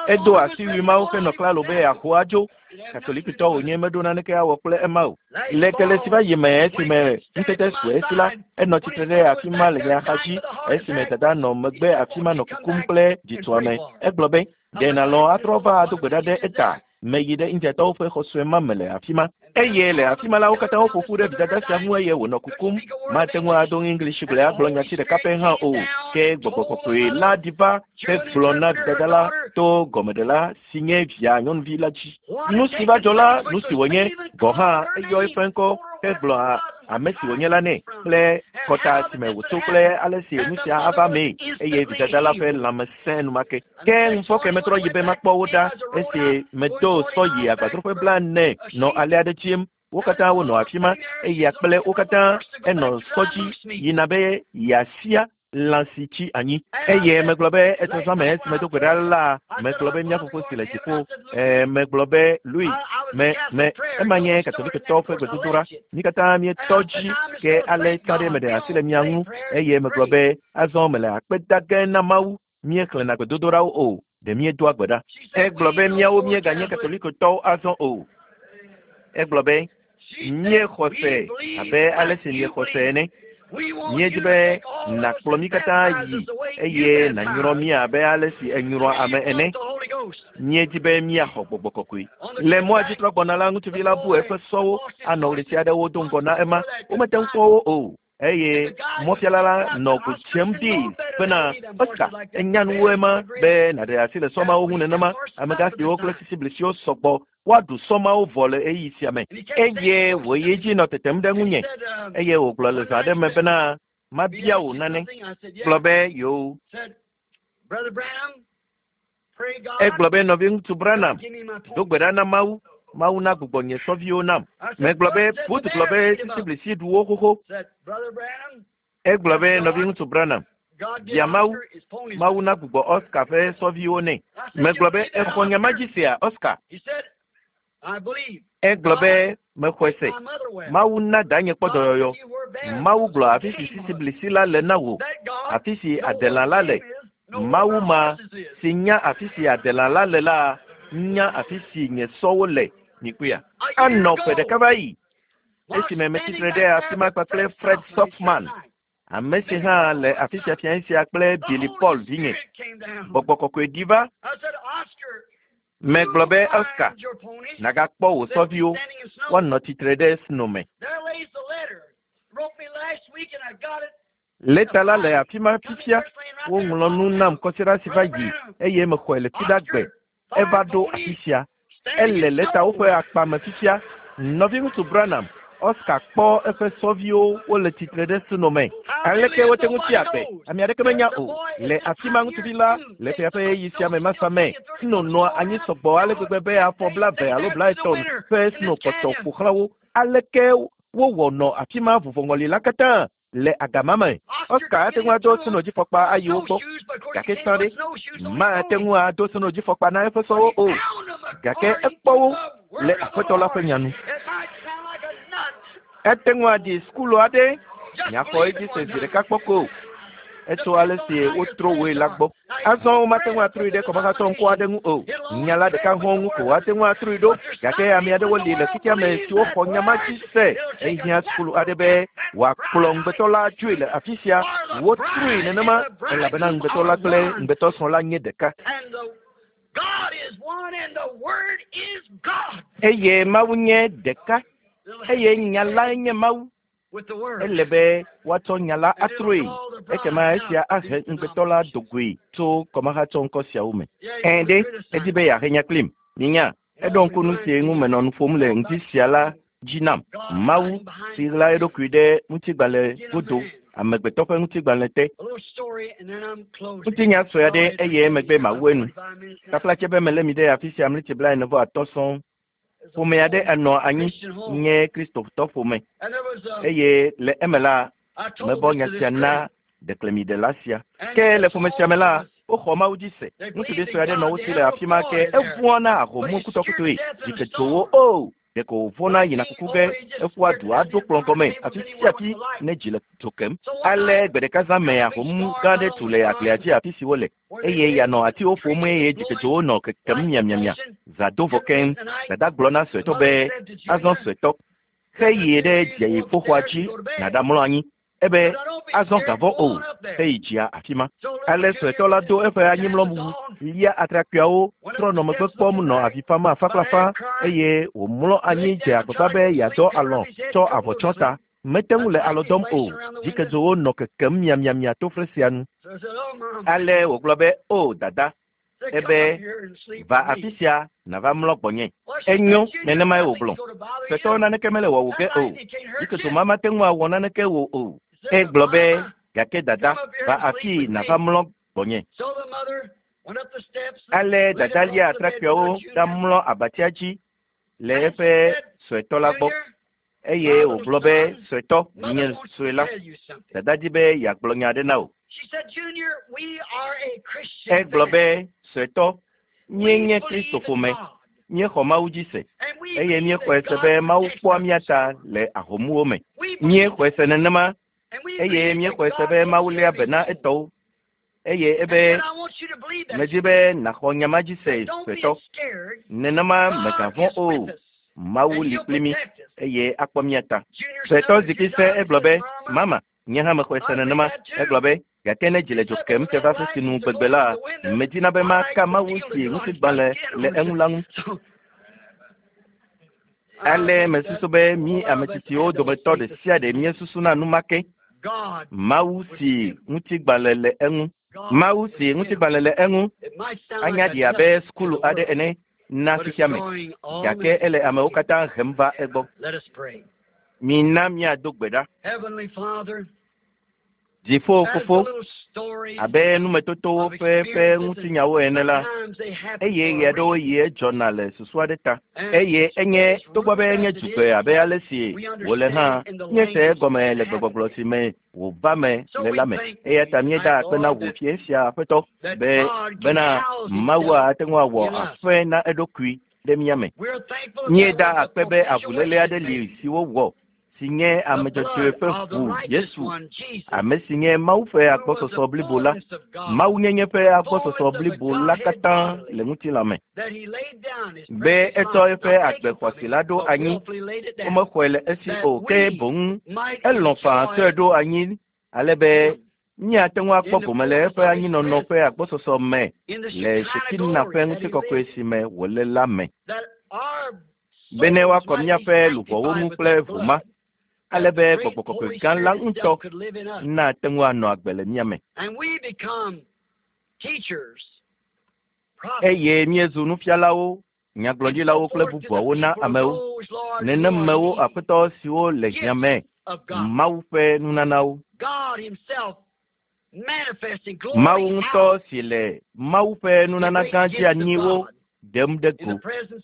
Edo asiwui mawo henɔ klalo be yeaho adzo. Katolikitɔ wònye meɖo naneke awɔ kple ema o. Le kele si va yi me esime ŋutete su esi la, enɔ tsitre ɖe afi ma le nye axadzi esime dada nɔ megbe afi ma nɔ kukum kple dzitsoame. Egblɔ be, ɖe nàlɔ̃ atrɔ va ado gbe ɖa ɖe eta? Meyi ɖe Indiatɔwo ƒe xɔ sue ma me le afi ma. Eye le afi ma la, wo katã woƒo ƒu ɖe vidada sia ŋu eye wònɔ kukum. Mate ŋu ado English gblẽ agblɔ nyati ɖeka pɛ hã o. Ke gbɔgbɔ kɔkɔe la ɖi va hegblɔ na vidada la to gɔmeɖela si nye via nyɔnuvi la dzi. Nu si va dzɔ la, nu si wònye gɔ̃ hã eyɔ eƒe ŋkɔ hegblɔ ame si wònye la nɛ kple kɔta si me wòtso kple ale si nu sia ava mee eye vidada la ƒe lãme sẽ enumake. Ke ŋufɔke metrɔ yi be makpɔ wo ɖa esi medo sɔ yi agbadroƒe 40 nɔ alea ɖe dziem. Wo katã wonɔ afi ma eya kple wo katã enɔ sɔ dzi yina be yeasia lã si tsi anyi. Eye megblɔ be etsɔzã me esi medo gbe ɖa la, megblɔ be mía fofo si le dziƒo. Megblɔ be Louis, me me ema nye katolikitɔwo ƒe gbedodoɖa. Mi katã mietɔ dzi ke ale tsã ɖe meɖe asi le mia ŋu eye megblɔ be azɔ mele akpe da ge na Mawu. Míexlẽna gbedodoɖawo o, ɖe míedoa gbe ɖa. Egblɔ be míawo míeganye katolikotɔwo azɔ o. Egblɔ be míexɔ se abe ale si miexɔ se ene. Míedi be nàkplɔ mí katã yi eye nànyrɔ mí abe ale si enyrɔa ame ene. Míedi be míaxɔ gbɔgbɔ kɔkɔe. Le mɔa dzi trɔ gbɔna la, ŋutsuvi la bu eƒe sɔwo anɔ ɣleti aɖewo do ŋgɔ na ema. Womete ŋu kpɔ wo o. Eye mɔfiala la nɔ go dzem ɖi bena Oscar enya nuwoe ma be nàɖe asi le sɔmawo ŋu nenema. Amegãxiwo kple sisiblisiwo sɔgbɔ woaɖu sɔmawo vɔ le ɣeyiɣi sia me. Eye wòyi edzi nɔ tetem ɖe ŋunye eye wògblɔ le zã aɖe me bena mabia wò nane. Gblɔ be yewo. Egblɔ be nɔviŋutsu Branham do gbe ɖa na Mawu. Mawu na gbugbɔ nye sɔviwo nam. Megblɔ be Bud gblɔ be sisiblisi ɖu wo xoxo. Egblɔ be nɔviŋutsu Branham bia Mawu, Mawu na gbugbɔ Oscar ƒe sɔviwo nɛ. Megblɔ be exɔ nya ma dzi sea, Oscar? Egblɔ be mexɔe se. Mawu na danye kpɔ dɔyɔyɔ. Mawu gblɔ afi si sisiblisi la le na wò, afi si adelã la le. Mawu ma si nya afi si adelã la le la nya afi si nye sɔwo le. Mikpɔea? Anɔ ƒe ɖeka va yi esime metsitre ɖe afi ma kpakple Fred Sothmann, ame si hã le afi sia fia sia kple Billy Paul vinye. Gbɔgbɔ kɔkɔe ɖi va. Megblɔ be Oscar, nagakpɔ wò sɔviwo woanɔ tsitre ɖe sno me. Lɛta la le afi ma fifia. Woŋlɔ nu nam kɔsiɖa si va yi eye mexɔe le fiɖagbe. Eva ɖo afi sia. Ele lɛtawo ƒe akpa me fifia. Nɔviŋutsu Branham, Oscar kpɔ eƒe sɔviwo wole tsitre ɖe sno me. Aleke wote ŋu tsi agbe? Ame aɖeke menya o. Le afi ma ŋutsuvi la le ƒea ƒe ɣeyiɣi sia me masa me. Sno nɔa anyi sɔgbɔ ale gbegbe be afɔ 20 alo 30 ƒe sno kpɔtɔ ƒo xlã wo. Aleke wowɔ nɔ afi ma vuvɔŋɔli la katã le agama me? Oscar ate ŋu ado snodzifɔkpa ayi wo gbɔ, gake sã ɖe mate ŋu ado snodzifɔkpa na eƒe sɔwo o. Gake ekpɔ wo le aƒetɔ la ƒe nya nu. Ete ŋu aɖi sukulu aɖe nyaxɔ edzi se zi ɖeka kpɔ ko. Etso ale si wotro woe la gbɔ. Azɔ womate ŋu atrɔe ɖe kɔmahatsɔ ŋkɔ aɖe ŋu o. Nya la ɖeka hɔ̃ ŋu ko woate ŋu atrɔe ɖo. Gake ame aɖewo li le xexea me siwo xɔ nya ma dzi se. Ehiã sukulu aɖe be wòakplɔ ŋugbetɔ la dzoe le afi sia. Wotrɔe nenema elabena ŋugbetɔ la kple ŋugbetɔsrɔ̃ la nye ɖeka. Eye Mawu nye ɖeka. Eye nya lae nye Mawu. Ele be woatsɔ nya la atrɔe. Ekema esia ahe ŋugbetɔ la dogoe tso kɔmahatsɔ ŋkɔ siawo me. Ɛ̃ ɖe, edi be yeahe nya kplim. Minya, eɖo ŋku nu si ŋu menɔ nu ƒom le ŋdi sia la dzi nam. Mawu si ɣla eɖokui ɖe ŋutigbalẽ godo. amegbetɔ ƒe ŋutigbalẽ te. Ŋutinya sue aɖe eye emegbe mawu enu. Taflatse be melé mi ɖe afi sia mliti 45 sɔŋ. Ƒome aɖe enɔ anyi nye Kristotɔ ƒome eye le eme la mebɔ nya sia na ɖeklemiɖela sia. Ke le ƒome sia me la, woxɔ Mawu dzi se. Ŋutsuvi sue aɖe nɔ wo si le afi ma ke evɔ̃a na ahomu kutɔkutɔe. Dziketsowo o. Ɖeko wòvɔ̃na yina kuku ge eƒua du aɖo kplɔ̃ gɔme afi sia afi ne dzi le dzo kem. Ale gbe ɖeka zã me ahomu gã aɖe tu le agblea dzi afi si wole eye yeanɔ atiwo ƒom eye dziketsowo nɔ kekem miamiamia. Zã do vɔ keŋ. Dada gblɔ na suetɔ be, azɔ suetɔ, xe yi ɖe dziƒoxɔa dzi nàɖamlɔ anyi. Ebe azɔ gavɔ o, heyi dzia afi ma. Ale suetɔ la do eƒe anyimlɔwu, lia atrakpuiawo, trɔ nɔ megbe kpɔm nɔ avi fam afa kple afa eye wòmlɔ anyi dze agbagba be yeadɔ alɔ̃ tsɔ avɔ tsɔ ta. Mete ŋu le alɔ dɔm o. Dzikedzowo nɔ kekem miamiamia to fle sia nu. Ale wògblɔ be, O dada, ebe va afi sia nàva mlɔ gbɔnye. Enyo, nenemae wògblɔ. Suetɔ naneke mele wɔwò ge o. Dzikedzo ma mate ŋu awɔ naneke wò o. Egblɔ be, gake dada, va afii nàva mlɔ gbɔnye. Ale dada lia atrakpuiawo ɖamlɔ abatia dzi le eƒe suetɔ la gbɔ. Eye wògblɔ be, suetɔ, nye sue la, dada di be yeagblɔ nya aɖe na wò. Egblɔ be, suetɔ, míenye Kristo ƒome, míexɔ Mawu dzi se eye míexɔe se be Mawu kpɔa mía ta le ahomuwo me. Míexɔe se nenema eye míexɔe se be Mawu léa be na etɔwo. Eye ebe medi be nàxɔ nya ma dzi se suetɔ. Nenema mègavɔ̃ o. Mawu li kpli mí eye akpɔ mía ta. Suetɔ zikpui sẽ egblɔ be, mama, nye hã mexɔe se nenema. Egblɔ be, gake ne dzi le dzo kem te va fi si nu gbegbe la, medina be maka Mawu si ŋutigbalẽ le eŋu la ŋu. Ale mesusu be mí ame tsitsiwo dometɔ ɖe sia ɖe míesusuna nu ma ke. Mawu si ŋutigbalẽ le eŋu. Mawu si ŋutigbalẽ le eŋu anya ɖi abe sukulu aɖe ene na fifia me, gake ele amewo katã hem va egbɔ. Mina míado gbe ɖa. Dziƒo fofo, abe numetotowo ƒe ƒe ŋutinyawo ene la, eye ɣe aɖewo yi edzɔna le susu aɖe ta. Eye enye togbɔ be enye dzugbe abe ale si wòle hã, míese egɔme le gbegbɔgblɔ si me wòva me le la me. Eya ta míeda akpe na wò fie sia aƒetɔ be bena Mawua ate ŋu awɔ aƒe na eɖokui ɖe mía me. Míeda akpe be avuléle aɖe li si wowɔ si nye ame dzɔdzɔe ƒe ʋu Yesu, ame si nye Mawu ƒe agbɔsɔsɔ blibo la, Mawunyenye ƒe agbɔsɔsɔ blibo la katã le ŋutilã me. Be etsɔ eƒe agbe xɔasi la ɖo anyi, womexɔe le esi o, ke boŋ elɔ̃ faa tsɔe ɖo anyi ale be míate ŋu akpɔ gome le eƒe anyinɔnɔ ƒe agbɔsɔsɔ me le Shekina ƒe ŋutikɔkɔe si me wòle la me. Bene woakɔ míaƒe luʋɔwo ŋu kple ʋu ma, ale be gbɔgbɔ kɔkɔe gã la ŋutɔ nate ŋu anɔ agbe le mía me. Eye míezu nufialawo, nyagblɔɖilawo kple bubuawo na amewo. Nenemewo aƒetɔ siwo le hiã me, Mawu ƒe nunanawo. Mawu ŋutɔ si le Mawu ƒe nunana gã dzeanyiwo ɖem ɖe go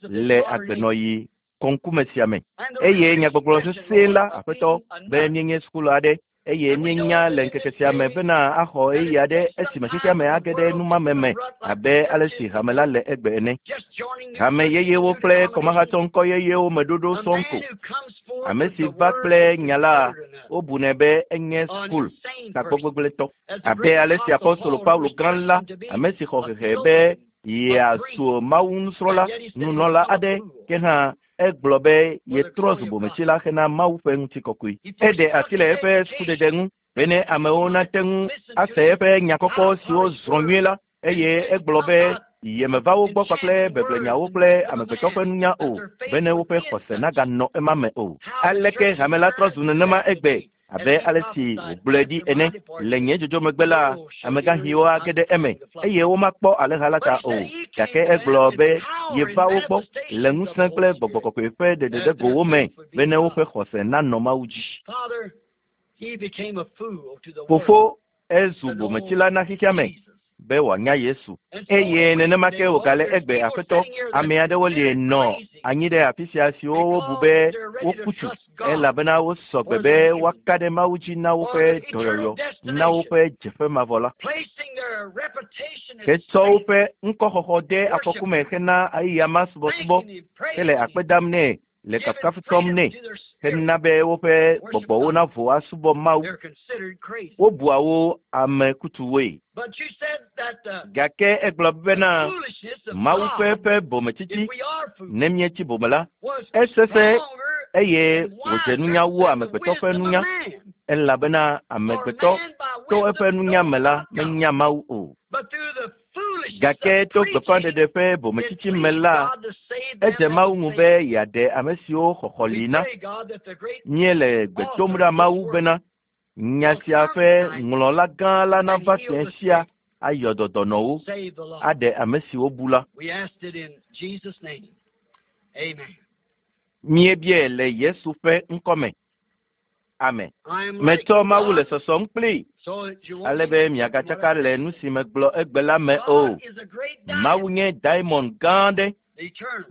le agbenɔɣi kɔŋkume sia me. Eye nyagbɔgblɔ sesẽ la aƒetɔ be míenye sukulu aɖe eye míenya le ŋkeke sia me bena axɔ ɣeyiɣi aɖe esime xexea me age ɖe numame me abe ale si hame la le egbe ene. Hame yeyewo kple kɔmahatsɔ ŋkɔ yeyewo me ɖoɖo sɔŋ ko. Ame si va kple nya la, wobunɛ be enye sukul tagbɔgbegblẽtɔ. Abe ale si apostolo Paulo gã la, ame si xɔ hehe be yeazu Mawu nusrɔ̃la, nunɔla aɖe, ke hã egblɔ be yetrɔ zu bometsila hena Mawu ƒe ŋutikɔkɔe. Eɖe asi le eƒe sukudede ŋu bene amewo nate ŋu ase eƒe nya kɔkɔ siwo zrɔ̃ nyuie la, eye egblɔ be yemeva wo gbɔ kpakple beblenyawo kple amegbetɔ ƒe nunya o, bene woƒe xɔse naganɔ ema me o. Aleke hame la trɔ zu nenema egbe abe ale si wògblɔe ɖi ene. Le nye dzodzo megbe la, amegãxiwo age ɖe eme eye womakpɔ alẽha la ta o. Gake egblɔ be yeva wo gbɔ le ŋusẽ kple gbɔgbɔ kɔkɔe ƒe ɖeɖeɖegowo me bene woƒe xɔse nanɔ Mawu dzi. Fofo ezu bometsila na xexea me be wòanya Yesu. Eye nenema ke wògale egbe Aƒetɔ, ame aɖewo li nɔ anyi ɖe afi sia siwo wobu be woku tu elabena wosɔ gbe be woaka ɖe Mawu dzi na woƒe dɔyɔyɔ, na woƒe dzeƒe mavɔ la. Hetsɔ woƒe ŋkɔxɔxɔ de afɔku me hena ɣeyiɣia ma subɔsubɔ hele akpe dam nɛ le kafukafu tsɔm nɛ hena be woƒe gbɔgbɔwo navo asubɔ Mawu. Wobua wo ame kutuwoe. Gake egblɔ bena Mawu ƒe eƒe bometsitsi, ne míetsi bome la, esesẽ eye wòdze nunya wu amegbetɔ ƒe nunya, elabena amegbetɔ to eƒe nunya me la menya Mawu o. Gake to gbeƒãɖeɖe ƒe bometsitsi me la, edze Mawu ŋu be yeaɖe ame siwo xɔxɔ li na. Míele gbe dom ɖa Mawu bena nya sia ƒe ŋlɔla gã la nava fiẽ sia ayɔ dɔ dɔnɔwo, aɖe ame siwo bu la. Míebiae le Yesu ƒe ŋkɔme. Amen. Metsɔ Mawu le sɔsɔm kplii ale be miagatsaka le nu si megblɔ egbe la me o. Mawu nye diamond gã aɖe,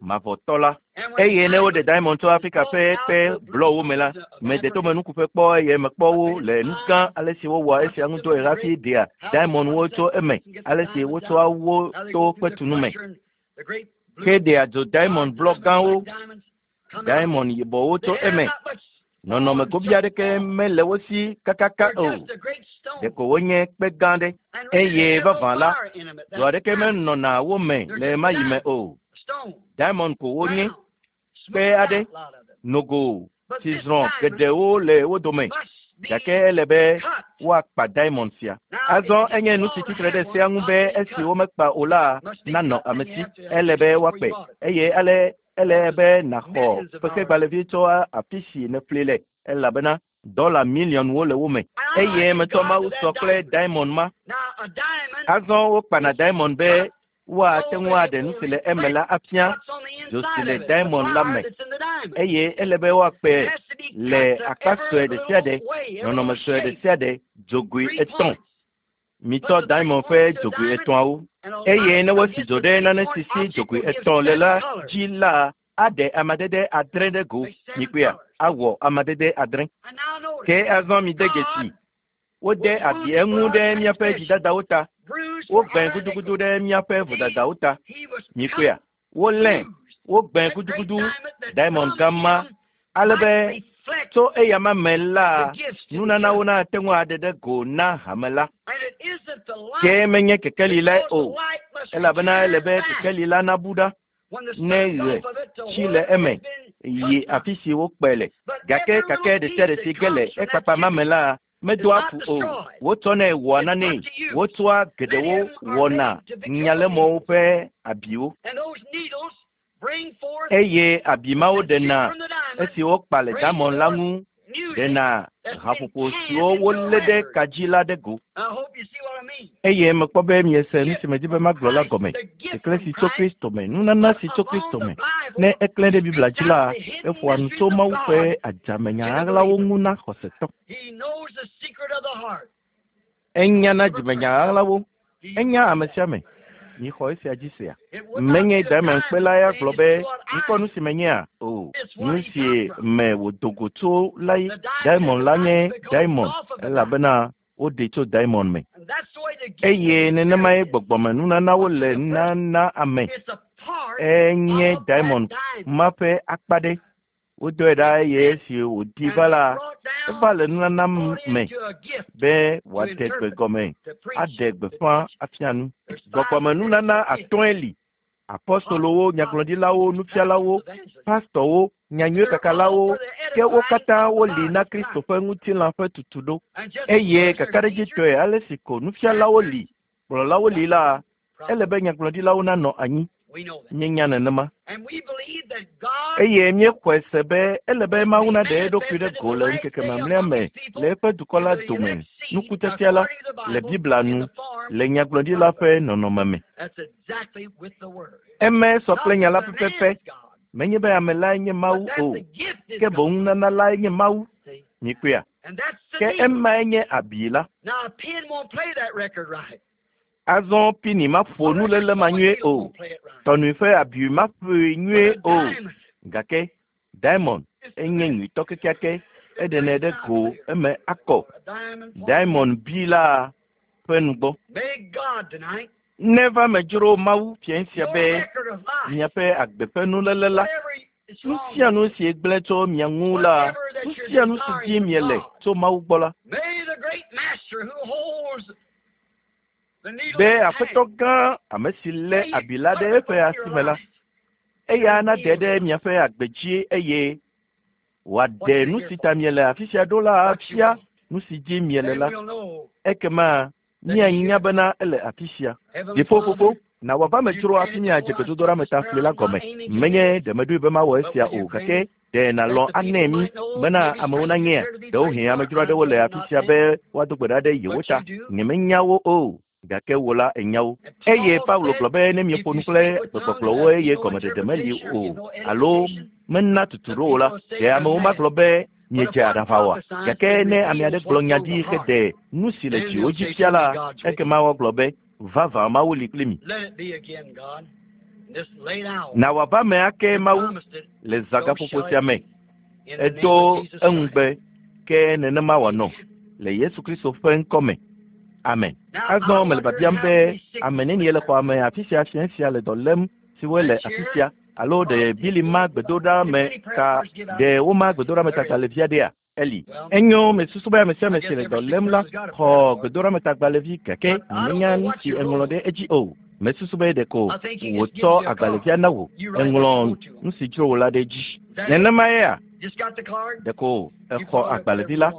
mavɔtɔ la. Eye ne woɖe diamond tso Afrika ƒe kpe blɔwo me la, mede tomenukuƒe kpɔ eye mekpɔ wo le nu gã ale si wowɔa esia ŋu dɔe hafi ɖea diamondwo tso eme, ale si wotsɔa wo to kpetunu me. Ke ɖea dzo diamond blɔ gãwo, diamond yibɔwo tso eme. Nɔnɔme gobi aɖeke mele wo si kakaka o. Ɖeko wonye kpe gã ɖe. Eye vavã la, dzo aɖeke menɔna wo me le ɣemaɣi me o. Diamond ko wonye, kpe aɖe, nogo si zrɔ̃ geɖewo le wo dome. Gake ele be woakpa diamond sia. Azɔ enye nu si tsitre ɖe sea ŋu be esi womekpa o la nanɔ ame si. Ele be woakpe eye ale ele be nàxɔ fexegbalẽvi tso afi si nèƒli le elabena dɔla miliɔnwo le wo me. Eye metsɔ Mawu sɔ kple diamond ma. Azɔ wokpana diamond be woate ŋu aɖe nu si le eme la afia dzo si le diamond la me. Eye ele be woakpe le akpa sue ɖe sia ɖe, nɔnɔme sue ɖe sia ɖe, dzogoe etɔ̃. Mitsɔ diamond ƒe dzogoe etɔ̃awo. Eye ne wosi dzo ɖe nane si si dzogoe etɔ̃ le la dzi la, aɖe amadede adre ɖe go. Mikpɔea? Awɔ amadede adre. Ke azɔ mide dzesi. Wode abi eŋu ɖe míaƒe dzidadawo ta. Wogbẽ gudugudu ɖe míaƒe vodadawo ta. Mikpɔea? Wolé, wogbẽ gudugudu diamond gã ma ale be tso eyama me la, nunanawo nate ŋu aɖe ɖe go na hame la. Ke menye kekeli lae o, elabena ele be kekeli la nabu ɖa ne ɣe tsi le eme yi afi si wokpe le. Gake kake ɖe sia ɖe si ge le ekpakpa ma me la, medoa fu o. Wotsɔnɛ wɔa nanee. Wotsɔa geɖewo wɔna nyalemɔwo ƒe abiwo. Eye abi mawo ɖena esi wokpa le diamond la ŋu ɖena haƒoƒo siwo wolé ɖe ka dzi la ɖe go. Eye mekpɔ be miese nu si medi be magblɔ la gɔme. Keklẽ si tso Kristo me, nunana si tso Kristo me. Ne eklẽ ɖe Biblia dzi la, eƒoa nu tso Mawu ƒe adzamenya ɣaɣlawo ŋu na xɔsetɔ. Enya na dzimenya ɣaɣlawo. Enya ame sia ame. Mixɔ esia dzi sea. Menye diamond kpe la ya gblɔ be mikpɔ nu si menyea o. Nu si me wòdo go tso lae diamond la nye diamond elabena woɖee tso diamond me. Eye nenemae gbɔgbɔme nunanawo le nana ame. Enye diamond ma ƒe akpa ɖe. Wodɔe ɖa eye esi wòdi va la, eva le nunana me be wòaɖe gbe gɔme, aɖe gbeƒã afia nu. Gbɔgbɔme nunana atɔ̃e li. Apɔstolowo, nyagblɔɖilawo, nufialawo, pastɔwo, nyanyuiekakalawo, ke wo katã woli na Kristo ƒe ŋutilã ƒe tutuɖo. Eye kakaɖedzitɔe ale si ko nufialawo li, kplɔlawo li la, ele be nyagblɔɖilawo nanɔ anyi. Míenya nenema. Eye míexɔe se be ele be Mawu naɖe eɖokui ɖe go le ŋkeke mamlɛa me le eƒe dukɔ la dome nukutefia la le Biblia nu le nyagblɔɖila ƒe nɔnɔme me. Eme sɔ kple nya la pɛpɛpɛ. Menye be ame lae nye Mawu o, ke boŋ nunana lae nye Mawu. Mikpɔea? Ke emae nye abi la. Azɔ pini maƒo nuléle ma nyuie o. Tɔnui ƒe abi maƒoe nyuie o. Gake diamond enye nyuitɔ kekeake. Eɖenɛ ɖe go eme akɔ. Diamond bi la ƒe nugbɔ. Neva medzro Mawu fia sia be miaƒe agbe ƒe nuléle la, nu sia nu si gblẽ tso mia ŋu la, nu sia nu si dim miele tso Mawu gbɔ la, be Aƒetɔ gã ame si lé abi la ɖe eƒe asi me la, eya nade ɖe miaƒe agbe dzi eye wòaɖe nu si ta miele afi sia ɖo la afia nu si dim miele la. Ekema míanya bena ele afi sia. Dziƒofofo, na wòava medzro hafi míadze gbedodoɖa me ta fli la gɔme. Menye ɖe meɖoe be mawɔ esia o, gake ɖe nàlɔ̃ anɛ mí bena amewo nanyea? Ɖewohĩ amedzro aɖewo le afi sia be woado gbe ɖa ɖe yewo ta. Nyemenya wo o, gake wò la ènya wo. Eye Paulo gblɔ be ne mieƒo nu kple gbegbɔgblɔwo eye gɔmeɖeɖe meli o alo mena tutu ɖo o la, ɖe amewo magblɔ be miedze aɖaʋa oa? Gake ne ame aɖe gblɔ nya ɖi heɖe nu si le dziwò dzi fia la, ekema woagblɔ be vavã Mawu li kpli mi. Na wòava me ake Mawu le zãgaƒoƒo sia me. Edo eŋugbe ke nenema wòanɔ le Yesu Kristo ƒe ŋkɔ me. Amen. Azɔ mele biabiam be ame nenie le xɔa me afi sia fiẽ sia le dɔ lém siwoe le afi sia alo ɖe Bili ma gbedoɖa me ta ɖe woma gbedoɖa me tagbalẽvi aɖea? Eli. Enyo mesusu be ame sia ame si le dɔ lém la xɔ gbedoɖametagbalẽvi gake nyemenya nu si eŋlɔ ɖe edzi o. Mesusu be ɖeko wòtsɔ agbalẽvia na wò. Eŋlɔ nu si dzro wò la ɖe edzi. Nenema yea? Ɖeko exɔ agbalẽvi la,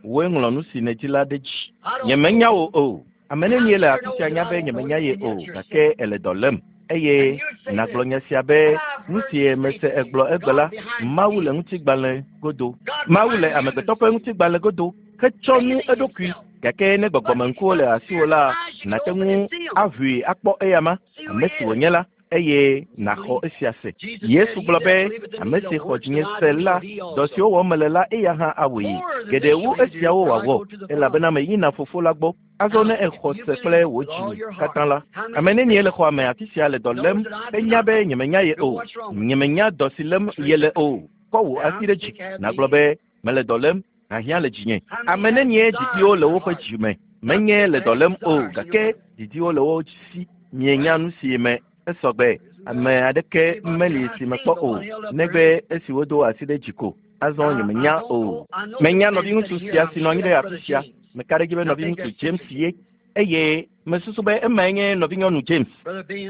wòe ŋlɔ nu si nèdi la ɖe edzi. Nyemenya wò o. Ame nenie le afi sia nya be nyemenya ye o, gake ele dɔ lém. Eye nàgblɔ nya sia be nu si mese egblɔ egbe la, Mawu le ŋutigbalẽ godo. Mawu le amegbetɔ ƒe ŋutigbalẽ godo hetsɔ nu eɖokui. Gake ne gbɔgbɔmeŋkuwo le asiwò la, nàte ŋu aʋui akpɔ eyama, ame si wònye la, eye nàxɔ esia se. Yesu gblɔ be ame si xɔ dzinye se la, dɔ siwo wɔm mele la, eya hã awɔe. Geɖe wu esiawo wòawɔ, elabena meyina Fofo la gbɔ. Azɔ ne exɔ se kple wò dzi katã la, ame nenie le xɔa me afi sia le dɔ lém henya be nyemenya ye o, nyemenya dɔ si lém yele o. Kɔ wò asi ɖe dzi nàgblɔ be mele dɔ lém, hiahiã le dzinye. Ame nenie didiwo le woƒe dzi me, menye le dɔ lém o, gake didiwo le wo si. Mienya nu si me esɔgbe. Ame aɖeke meli si mekpɔ o, negbe esi wodo asi ɖe dzi ko. Azɔ nyemenya o. Menya nɔviŋutsu sia si nɔ anyi ɖe afi sia. Meka ɖe edzi be nɔviŋutsu James ye eye mesusu be emae nye nɔvinyɔnu James.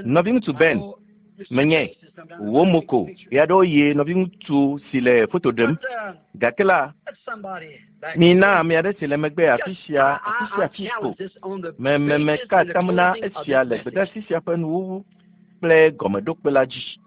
Nɔviŋutsu Ben, menye wò mo ko ɣeaɖewoɣi nɔviŋutsu si le foto ɖem. Gake la, mina ame aɖe si le megbe afi sia afi sia afi ko. Meka atam na esia le gbedeasi sia ƒe nuwuwu kple gɔmeɖokpe la dzi.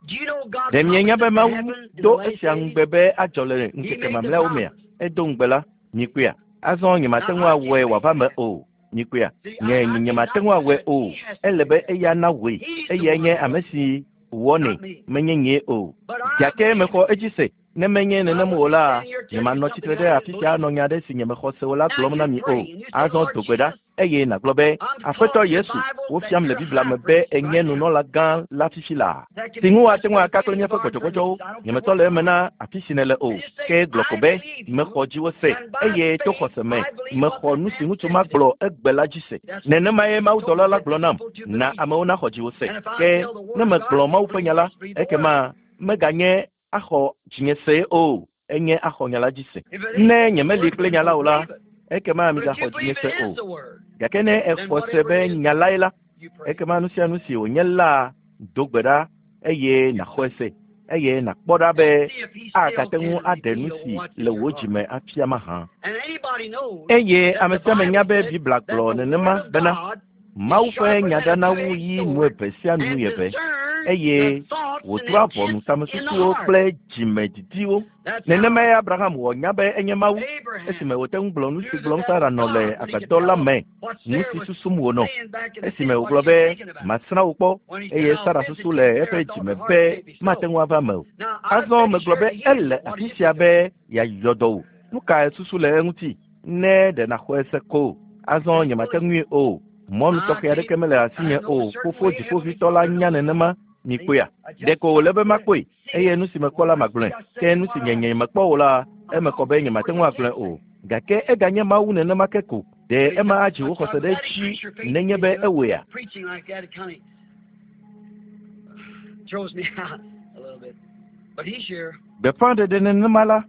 Ɖe mienya be Mawu do esia ŋugbe be adzɔ le ŋkeke mamlɛawo mea? Edo ŋugbe la, mikpɔea? Azɔ nyemate ŋu awɔe wòava me o. Mikpɔea? Nye nyemate ŋu awɔe o. Ele be eya nawɔe. Eyae nye ame si wɔnɛ, menye nyee o. Gake mexɔ edzi se. Ne menye nenem o la, nyemanɔ tsitre ɖe afi sia anɔ nya aɖe si nyemexɔ se o la gblɔm na mi o. Azɔ do gbe ɖa eye nàgblɔ be, Aƒetɔ Yesu, wofiam le Biblia me be ènye nunɔla gã la fifi laa, si ŋu woate ŋu aka kple míaƒe gbɔdzɔgbɔdzɔwo. Nyemetɔ le eme na afi si nèle o, ke gblɔ ko be, mexɔ dziwò se, eye to xɔse me mexɔ nu si ŋutsu ma gblɔ egbe la dzi se. Nenemae mawudɔla la gblɔ nam, na amewo naxɔ dziwò se. Ke ne megblɔ Mawu ƒe nya la, ekema meganye axɔ dzinye se o, enye axɔ nya la dzi se. Ne nyemeli kple nya la o la, ekema migaxɔ dzinye se o. Gake ne exɔ se be nya lae la, ekema nu sia nu si wònye la, do gbe ɖa eye nàxɔe se, eye nàkpɔ ɖa be agate ŋu aɖe nu si le wò dzi me afia mahã. Eye ame sia ame nya be Biblia gblɔ nenema bena Mawu ƒe nya ɖana wu yi nu eve sia nu eve, eye wòdrɔ̃a ʋɔnu tamesusuwo kple dzimedidiwo. Nenemae Abraham wɔ nya be enye Mawu esime wòte ŋu gblɔ nu si gblɔm Sara nɔ le agbadɔ la me, nu si susum wònɔ. Esime wògblɔ be, masrã wò kpɔ, eye Sara susu le eƒe dzime be mate ŋu ava eme o. Azɔ megblɔ be ele afi sia be yeayɔ dɔ wò. Nu kae susu le eŋuti? Ne ɖe nàxɔe se ko. Azɔ nyemate ŋui o. Mɔnu tɔxɛ aɖeke mele asinye o. Fofo Dziƒoʋĩtɔ la nya nenema. Mikpɔea? Ɖeko wòle be makpɔe, eye nu si mekpɔ la magblɔe. Ke nu si nye nyemekpɔ o la, eme kɔ be nyemate ŋu agblɔe o. Gake eganye Mawu nenema ke ko. Ɖe ema adzi wò xɔse ɖe edzi nenye be ewɔea? Gbeƒãɖeɖe nenema la,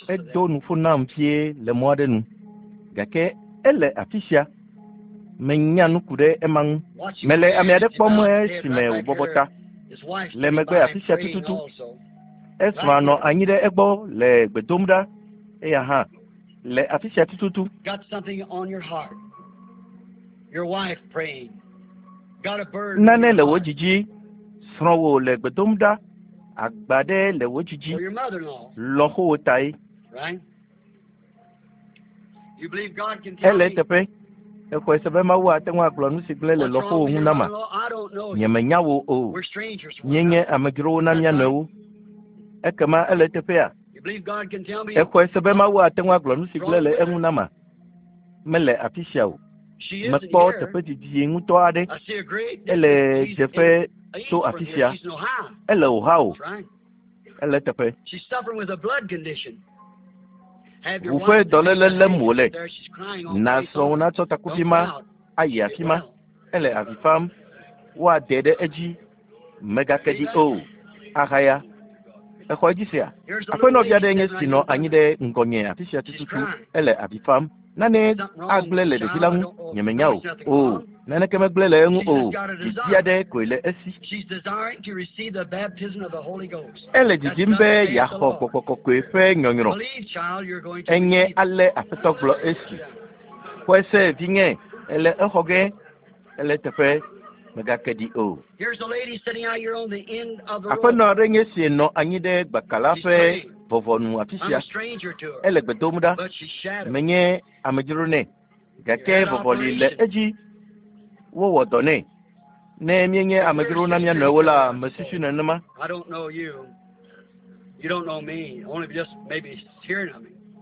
edo nuƒo nam vie le mɔ aɖe nu. Gake ele afi sia. Menya nu ku ɖe ema ŋu. Mele ame aɖe kpɔm esime wòbɔbɔ ta le megbe afi sia tututu. Esrɔ̃a nɔ anyi ɖe egbɔ le gbe dom ɖa. Eya hã le afi sia tututu. Nane le wò dzi dzi. Srɔ̃wò le gbe dom ɖa. Agba ɖe le wò dzi dzi. Lɔ̃xowò tae. Ele eteƒe. Exɔe se be Mawu ate ŋu agblɔ nu si gblẽ le lɔ̃xowò ŋu nama. Nyemenya wò o. Míenye amedzrowo na mía nɔewo. Ekema ele eteƒea? Exɔe se be Mawu ate ŋu agblɔ nu si gblẽ le eŋu nama. Mele afi sia o. Mekpɔ teƒe didi ŋutɔ aɖe. Ele dzeƒe tso afi sia. Ele Ohio. Ele eteƒe. Ʋu ƒe dɔléle lém wòle. Na srɔ̃wò natsɔ takuvi ma ayi afi ma. Ele avi fam. Woadee ɖe edzi. Mègake ɖi o. Ahaya. Exɔ edzi sea? Aƒenɔvi aɖe nye si nɔ anyi ɖe ŋgɔnye afi sia tututu. Ele avi fam. Nane agblẽ le ɖevi la ŋu. Nyemenya o. O, naneke megblẽ le eŋu o. Didi aɖe koe le esi. Ele didim be yeaxɔ Gbɔgbɔ Kɔkɔe ƒe nyɔnyrɔ. Enye ale Aƒetɔ gblɔ esi. Xɔe se, vinye, ele exɔ ge. Ele eteƒe. Mègake ɖi o. Aƒenɔ aɖe nye si nɔ anyi ɖe gbaka la ƒe vɔvɔnu afi sia. Ele gbe dom ɖa. Menye amedzro nɛ. Gake vɔvɔli le edzi. Wowɔ dɔ nɛ. Ne míenye amedzro na mía nɔewo la, mesusu nenema.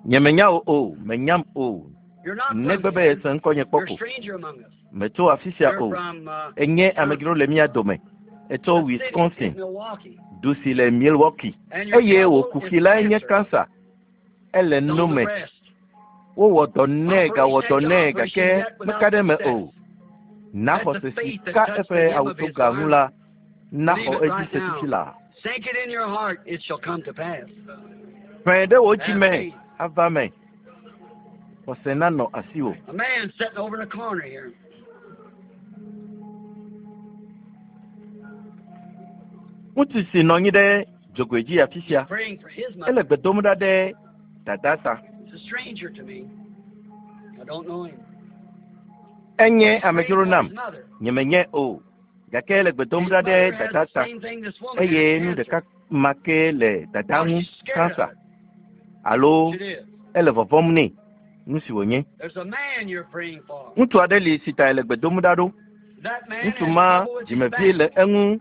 Nyemenya wò o, mènyam o. Negbe be èse ŋkɔnye kpɔ ko. Metso afi sia o. Enye amedzro le mía dome. Etso Wisconsin, du si le Milwaukee. Eye wò kuxi lae nye kansa. Ele no me. Wowɔ dɔ nɛ gawɔ dɔ nɛ gake meka ɖe eme o. Na xɔse si ka eƒe awutoga ŋu la naxɔ edzi se fifi laa. Ƒẽ ɖe wò dzi me ava me. Xɔse nanɔ asiwò. Ŋutsu si nɔ anyi ɖe dzogoe dzi afi sia, ele gbe dom ɖa ɖe dada ta. Enye amedzro nam, nyemenyae o, gake ele gbe dom ɖa ɖe dada ta eye nu ɖeka ma ke le dada ŋu, kansa, alo ele vɔvɔ̃m nɛ, nu si wònye. Ŋutsu aɖe li si ta ele gbe dom ɖa ɖo. Ŋutsu ma dzimevie le eŋu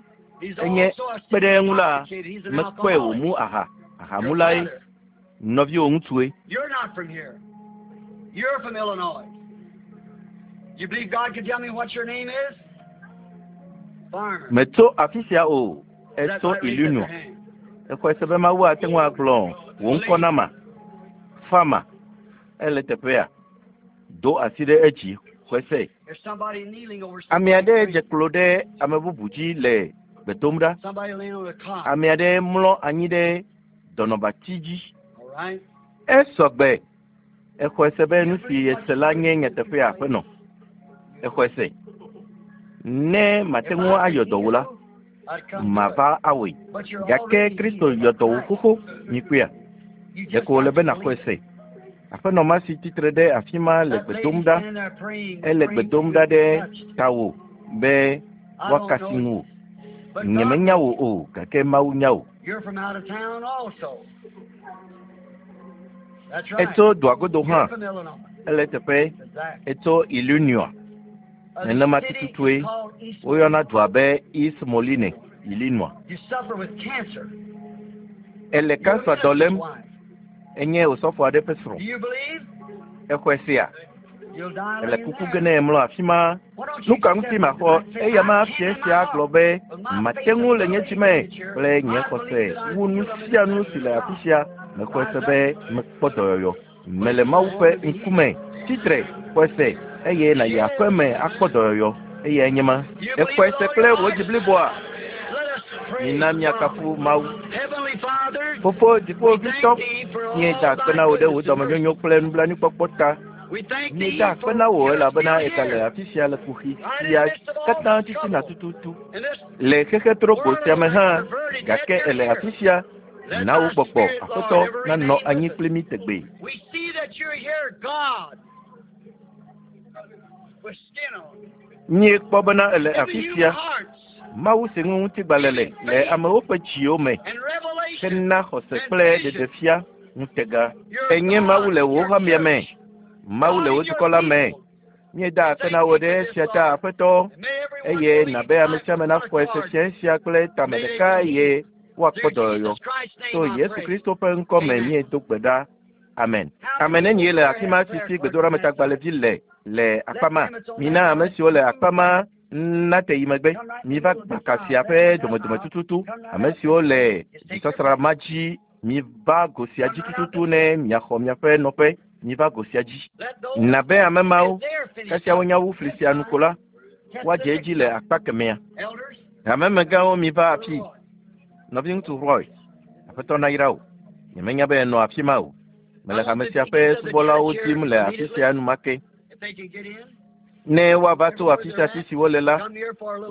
enye kpe ɖe eŋu la, mekpɔe wòmu aha. Ahamulae nɔviwò ŋutsue. You're not from here. You're from Illinois. You believe God can tell me what your name is? Farmer. Metso afi sia o. Is that Etso right? Raise up your Illinois. hand. Exɔe se be Mawu ate ŋu agblɔ wò ŋkɔ nama. Farmer. Ele teƒea. Do asi ɖe edzi. Xɔe se. There's somebody kneeling over Ame somebody aɖe dze praying. klo ɖe ame bubu dzi le gbe dom ɖa. Somebody laying on a cot. Ame aɖe mlɔ anyi ɖe dɔnɔbatsi dzi. All right? Esɔ gbe. Exɔe se be nu si yese la nye nyateƒea aƒenɔ. Exɔe se. Ne mate If ŋu I ayɔ could dɔ wò la, heal, I'd come to it. mava awɔe. But you're Gake already Kristo healed yɔ by dɔ wò Christ. xoxo. Mikpɔea? You just Ɖeko wòle got be to nàxɔe believe it. se. Aƒenɔ ma si tsitre ɖe afi ma le That gbe lady dom ɖa. standing there praying, Ele gbe praying dom for ɖa you to be ɖe touched. tawò be I don't woakasi know you, ŋuwò. but God Nyemenya knows wò you. o, gake Mawu nya wò. You're from out of town also. That's right. Etso dua godo You're hã. from Illinois. Ele teƒe. Exactly. Etso Illinois. The Nenema city is tututue called East woyɔna Moline. dua be East Moline, Illinois. You suffer with cancer. Ele You're a kansa dɔ minister's lém. wife. Enye osɔfo aɖe ƒe srɔ̃. Do you believe? Exɔe sea? Ele kuku ge ne èmlɔ afi ma. Nu ka ŋuti maxɔ eya ma fia sia gblɔ be mate ŋu le nye dzi me kple nye xɔse wu nu sia nu si le afi sia. Mexɔe se be mekpɔ dɔyɔyɔ. Mele Mawu ƒe ŋkume. Tsitre, xɔe se eye nàyi aƒe me akpɔ dɔyɔyɔ. Eyae nye ma. Èxɔe se kple wò dzi bliboa? Mina míakafu Mawu. Fofo Dziƒoʋĩtɔ, míeda akpe na wò ɖe wò dɔmenyonyo kple nublanuikpɔkpɔ ta. Míeda akpe na wò elabena ègale afi sia le kuxi sia katã titina tututu. Le xexe trogbo sia me hã, gake èle afi sia. Na wò gbɔgbɔ, Aƒetɔ, nanɔ anyi kpli mí tegbee. Míekpɔ bena èle afi sia, Mawu si ŋu ŋutigbalẽ le le amewo ƒe dziwo me hena xɔse kple ɖeɖefia ŋutega. Ènye Mawu le wò hamea me, Mawu le wò dukɔ la me. Míeda akpe na wò ɖe esia ta, Aƒetɔ, eye nàbe ame sia ame naxɔe se fia sia kple tame ɖeka eye woakpɔ dɔyɔyɔ. To Yesu Kristo ƒe ŋkɔ me míedo gbe ɖa. Amen. Ame nenie le afi ma si si gbedoɖametagbalẽvi le le akpa ma? Mina ame siwo le akpa ma nate yi megbe. Miva gbaka sia ƒe domedome tututu. Ame siwo le dzisasra ma dzi, miva go sia dzi tututu ne miaxɔ miaƒe nɔƒe. Miva go sia dzi. Nabe ame mawo, kasia wonya wu fli sia nu ko la, woadze edzi le akpa kemɛa. Hamemegãwo miva afii. Nɔviŋutsu Roy, Aƒetɔ nayra wò. Nyemenya be ènɔ afi ma o. Mele hame sia ƒe subɔlawo dim le afi sia enumake. Ne woava tso afi sia afi si wole la,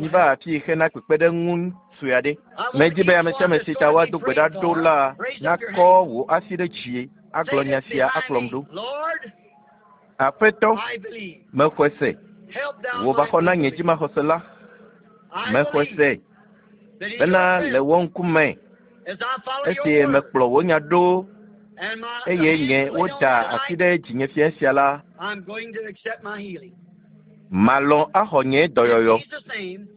miva afii hena kpekpeɖeŋu sue aɖe. Medi be ame sia ame si ta woado gbe ɖa ɖo la nakɔ wò asi ɖe dzi agblɔ nya sia akplɔm ɖo. Aƒetɔ, mexɔe se. Wò va xɔ na nye dzimaxɔse la. Mexɔe se bena le wò ŋkume esi mekplɔ wò nya ɖo eye nye woda asi ɖe dzinye fia sia la, malɔ̃ axɔ nye dɔyɔyɔ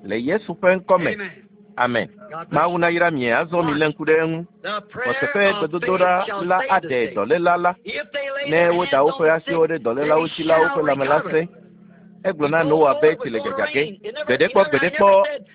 le Yesu ƒe ŋkɔ me. Amen. Mawu nayra mi azɔ milé ŋku ɖe eŋu. Xɔse ƒe gbedodoɖa la aɖe dɔléla la. Ne woda woƒe asiwo ɖe dɔlélawo dzi la, woƒe lãme la sẽ. Egblɔ na Noa be tsi le dzadza ge. Gbeɖekpɔ, gbeɖekpɔ,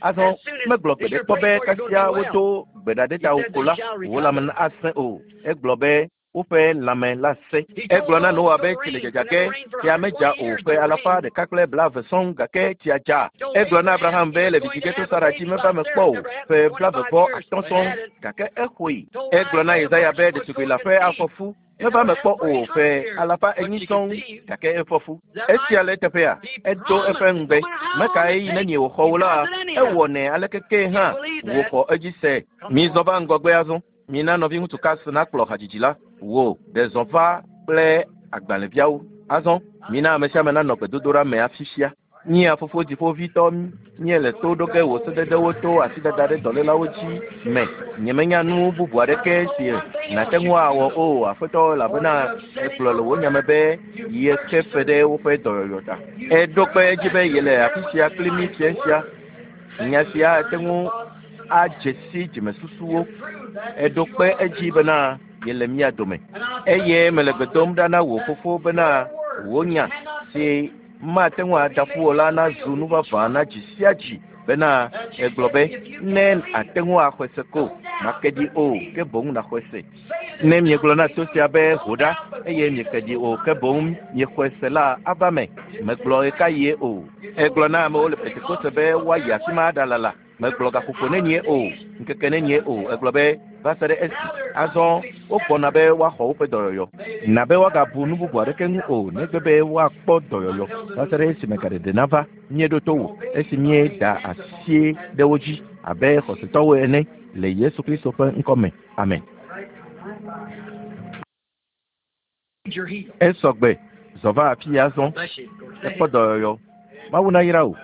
azɔ megblɔ gbeɖekpɔ be kasia wodo gbe ɖa ɖe tawò ko la, wò lãme asẽ o. Egblɔ be woƒe lãme la sẽ. Egblɔ na Noa be tsi le dzadza ge, tsia medza o ƒe alafa ɖeka kple blaeve sɔŋ gake tsia dza. Egblɔ na Abraham be le vidzidzi ge to Sara dzi meva eme kpɔ o ƒe blaeve-vɔ-atɔ̃ sɔŋ gake exɔe. Egblɔ na Yesaya be ɖetugbui leaƒe afɔ fu meva eme kpɔ o ƒe alafa enyi sɔŋ gake efɔ fu. Esia le eteƒea? Edo eƒe ŋugbe. Meka ɣeyiɣi nenie wòxɔ wò la, ewɔnɛ aleke kee hã wòxɔ edzi se. Mizɔ va ŋgɔgbe azɔ. Mina nɔviŋutsu Carson nakplɔ hadzidzi la. Wò, ɖe zɔ va kple agbalẽviawo. Azɔ, mina ame sia ame nanɔ gbedodoɖa me afisia. Mía Fofo Dziƒoʋĩtɔ, míele to ɖo ge wò sededewo to asidada ɖe dɔlélawo dzi me. Nyemenya nu bubu aɖeke si nàte ŋu awɔ o, Aƒetɔ, elabena ègblɔ le wò nya me be yexe fe ɖe woƒe dɔyɔyɔ ta. Èɖo kpe edzi be yele afi sia kpli mí fiẽ sia. Nya sia ate ŋu adze si dzimesusuwo. Èɖo kpe edzi bena yele mía dome. Eye mele gbe dom ɖa na wò Fofo bena wò nya si mate ŋu ada ƒu o la nazu nu vavã na dzi sia dzi bena egblɔ be, Ne àte ŋu axɔe se ko, màke ɖi o, ke boŋ nàxɔe se. Ne miegblɔ na to sia be, Ho ɖa, eye mieke ɖi o, ke boŋ miexɔe se la, ava me. Megblɔ ɣekaɣie o. Egblɔ na amewo le Pentekoste be woayi afi ma aɖalala. Megblɔ gaƒoƒo nenie o, ŋkeke nenie o. Egblɔ be, Va se ɖe esi. Azɔ wogbɔna be woaxɔ woƒe dɔyɔyɔ. Na be woagabu nu bubu aɖeke ŋu o, negbe be woakpɔ dɔyɔyɔ va se ɖe esime gaɖeɖe nava. Míeɖo to wò esi míeda asi ɖe wo dzi abe xɔsetɔwo ene le Yesu Kristo ƒe ŋkɔ me. Amen. Esɔ gbe, zɔ va afii azɔ. Èkpɔ dɔyɔyɔ. Mawu nayra wò.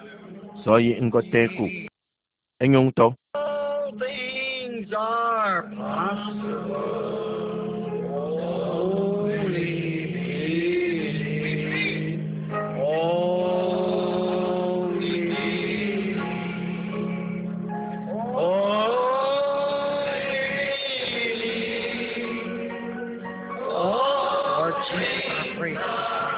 Zɔ yi ŋgɔ tẽe ko. Enyo ŋutɔ. All things are possible. Only believe. Only believe. Only believe. Lord Jesus, I pray for this.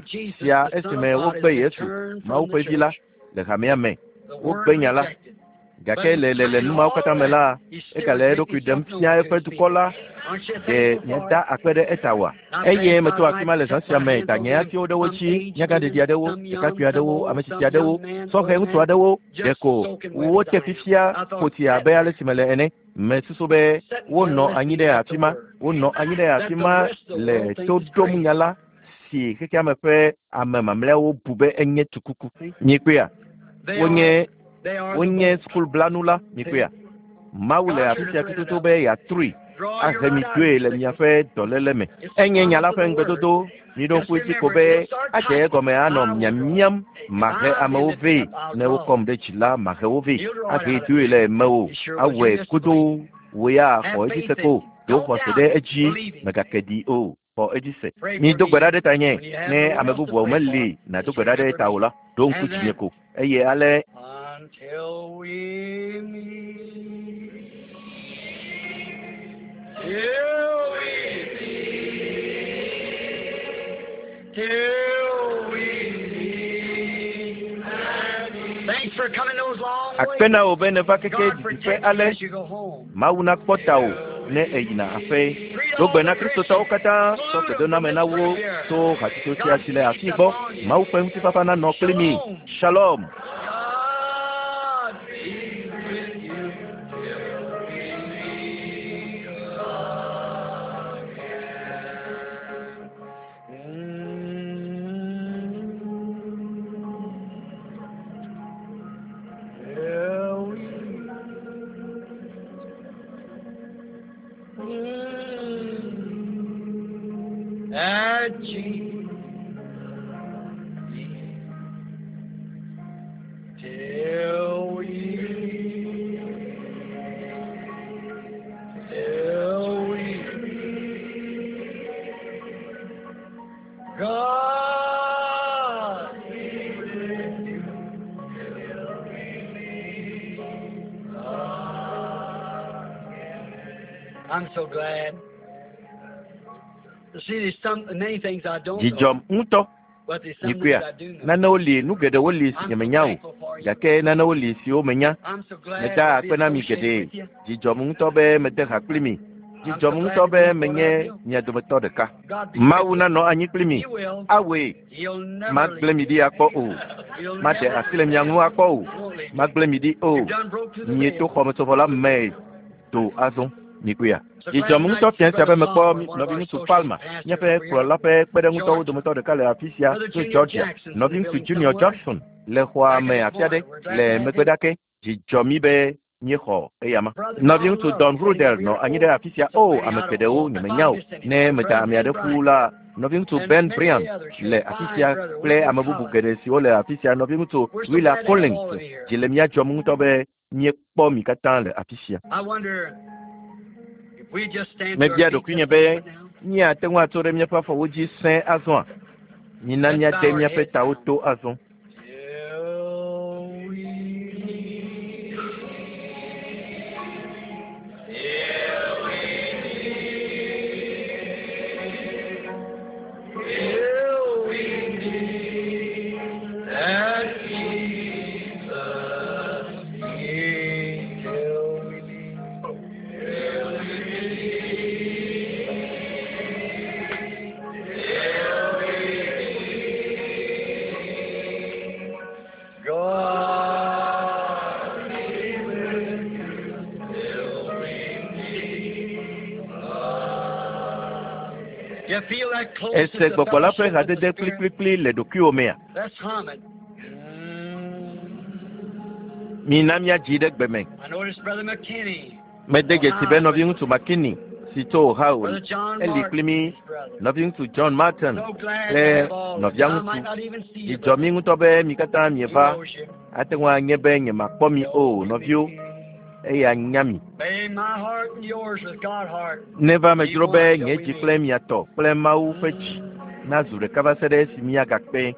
sia esime wogbe Yesu, Mawu ƒe Vi la, le hamea me. Wogbe nya la. Gake le le le nu mawo katã me la, egale eɖokui ɖem fia eƒe dukɔ la. Ɖe míada akpe ɖe eta oa? Eye meto afi ma le zã sia me, da nye asiwo ɖe wo dzi, nyagãɖeɖi aɖewo, ɖekakpui aɖewo, ame tsitsi aɖewo, sɔhɛ ŋutsu aɖewo, ɖeko wote fifia ƒo tsi abe ale si mele ene. Mesusu be wonɔ anyi ɖe afi ma, wonɔ anyi ɖe afi ma le to ɖom nya la si xexeame ƒe ame mamlɛawo bu be enye tukuku. Miekpɔea? Wonye wonye sukulblanu la, miekpɔea? Mawu le afi sia tututu be yeatrui ahe mi doe le miaƒe dɔléle me. Enye nya la ƒe ŋugbedodo. Miɖo ŋku edzi ko be adze egɔme anɔ miamiam mahe amewo vɛ. Ne wokɔm ɖe dzi la, mahe wo vɛ. Ahe doe le mewò. Awɔe godoo. Wò ya xɔ edzi se ko. Ɖo xɔse ɖe edzi. Mègake ɖi o. Xɔ edzi se. Mido gbe ɖa ɖe tanye. Ne ame bubuawo meli nàdo gbe ɖa ɖe eta o la, ɖo ŋku dzinye ko. Eye ale Until we meet. Till we meet. Till we meet. Thanks for coming those long akpe na wò ways. be nèva keke God didiƒe protect you ale. as you go home. Mawu nakpɔ tawò ne èyina aƒe. Do gbe na Kristotɔwo katã tsɔ gbedoname na wo tso hatsotso sia si le afii gbɔ. Mawu ƒe ŋutifafa nanɔ kpli mi. Shalom. God be with you till we meet again. Till we At Jesus. Till we, till we, God be with you till we meet again. I'm so glad. You see, there's some many things I don't know, Dzidzɔm ŋutɔ. but there's some things Mikpɔea? I do know. Nanewo li, nu geɖewo li si I'm so nyemenya o. thankful for you. Gake nanewo li siwo menya. I'm so glad Meda to be akpe na mi associated geɖe. with you. Dzidzɔm ŋutɔ be mede ha kpli mi. I'm so Dzidzɔm glad ŋutɔ to be be part menye of you. mia dometɔ ɖeka. God be Mawu with you. nanɔ anyi kpli mi. He will. Awɔe. He'll never Magblẽ leave mi you. ɖi akpɔ o. He'll Maɖe never asi le mia ŋu akpɔ o. won't leave you. Magblẽ mi ɖi o. You've done broke through the Mieto veil. xɔmetsovɔ la me do azɔ. Mikpɔea? So glad Dzidzɔm tonight ŋutɔ to see fia sia Brother be mekpɔ Palmer, one of our nɔviŋutsu associate Palmer, pastors míaƒe over here, kplɔla ƒe kpeɖeŋutɔwo Georgia. dometɔ ɖeka le afi sia Brother tso Junior Georgia. Jackson's in the Nɔviŋutsu building Junior somewhere. Jackson le xɔa Back me in the afi aɖe corner. We're glad le to have megbe him. ɖake. Dzidzɔ mí be míexɔ eyama. Brother Don Nɔviŋutsu Love Don sitting Rudel over nɔ here. anyi Oh, ɖe afi sia. so O, many ame I don't geɖewo know. If nyemenya I o. missed any. Ne meda Brother ame Ben aɖe ƒu Bryant la, nɔviŋutsu and Ben many Bryant others here. le afi Fine sia brother, kple William ame bubu Collins. geɖe siwo le afi sia. Nɔviŋutsu We're so Willa glad to have Collins all of you here. dzi le mía dzɔm ŋutɔ be míekpɔ mi katã le afi sia. I wonder if we just stand to our Mebia feet ɖokuinye just a be moment now. míate ŋu atso ɖe míaƒe afɔwo dzi sẽe azɔa? Mina Let's míade bow our míaƒe heads tawo now. to azɔ. Till we meet. Till we meet. Till we meet at Jesus' feet. Till we meet. Till we meet. Till we meet. God be with you till we meet again. You feel that closeness Ese of gbɔgbɔ la ƒe fellowship with the hadede Spirit? kplikplikpli le ɖokuiwò mea? Let's hum it. Mina míadzi ɖe gbe me. I noticed Brother McKinney, Mede dzesi be Ohio, with nɔviŋutsu us. McKinney si tso Ohio Brother John eli Martin, kpli mí, his brother. nɔviŋutsu John Martin So glad to kple have all of you. I nɔviaŋutsu. might not even see you, Dzidzɔ brother. mí ŋutɔ be mi katã He mieva. knows you. Ate ŋu anye be nyemakpɔ mi Till o, we nɔviwo, meet. eya nya mi. May my heart and yours with God's heart Neva be medzro one be till nye we dzi meet. kple mia tɔ kple Mawu ƒe dzi nazu ɖeka va se ɖe esi míagakpe.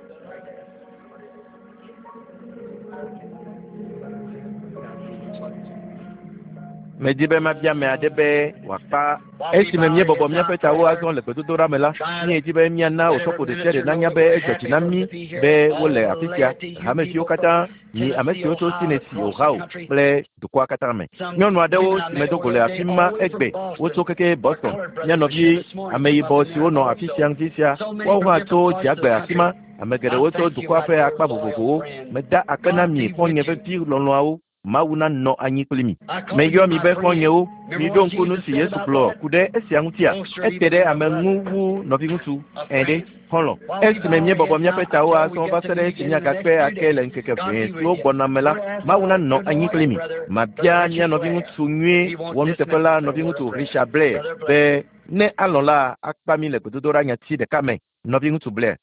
Medi be mabia ame aɖe be wòakpa. Esime míebɔbɔ míaƒe tawo azɔ le gbedodoɖa me la, míedi be míana osɔfo ɖe sia ɖe nanya be edzɔ dzi na mí be wole afi sia, hameviwo katã, mi ame siwo tso Tennessee, Ohio kple dukɔa katã me. Nyɔnu aɖewo si medo go le afi ma egbe, wotso keke Boston. Mía nɔvi ameyibɔ siwo nɔ afi sia ŋdi sia, woawo hã tso dziagbe afi ma. Ame geɖewo tso dukɔa ƒe akpa vovovowo. Meda akpe na mi xɔ̃nye vevi lɔlɔ̃awo. Mawu nanɔ anyi kpli mi. Meyɔ mi be xɔ̃nyewo. Miɖo ŋku nu si Yesu gblɔ ku ɖe esia ŋutia? Ete ɖe ame ŋu wu nɔviŋutsu. Ẽ ɖe, xɔlɔ̃. Esime míebɔbɔ míaƒe tawo azɔ va se ɖe esi míagakpe ake le ŋkeke ʋɛ siwo gbɔna me la, Mawu nanɔ anyi kpli mi. Mabia mía nɔviŋutsu nyui wɔnuteƒe la, nɔviŋutsu Richard Blair, be ne alɔ̃ la, akpa mí le gbedodoɖa nyati ɖeka me. Nɔviŋutsu Blair.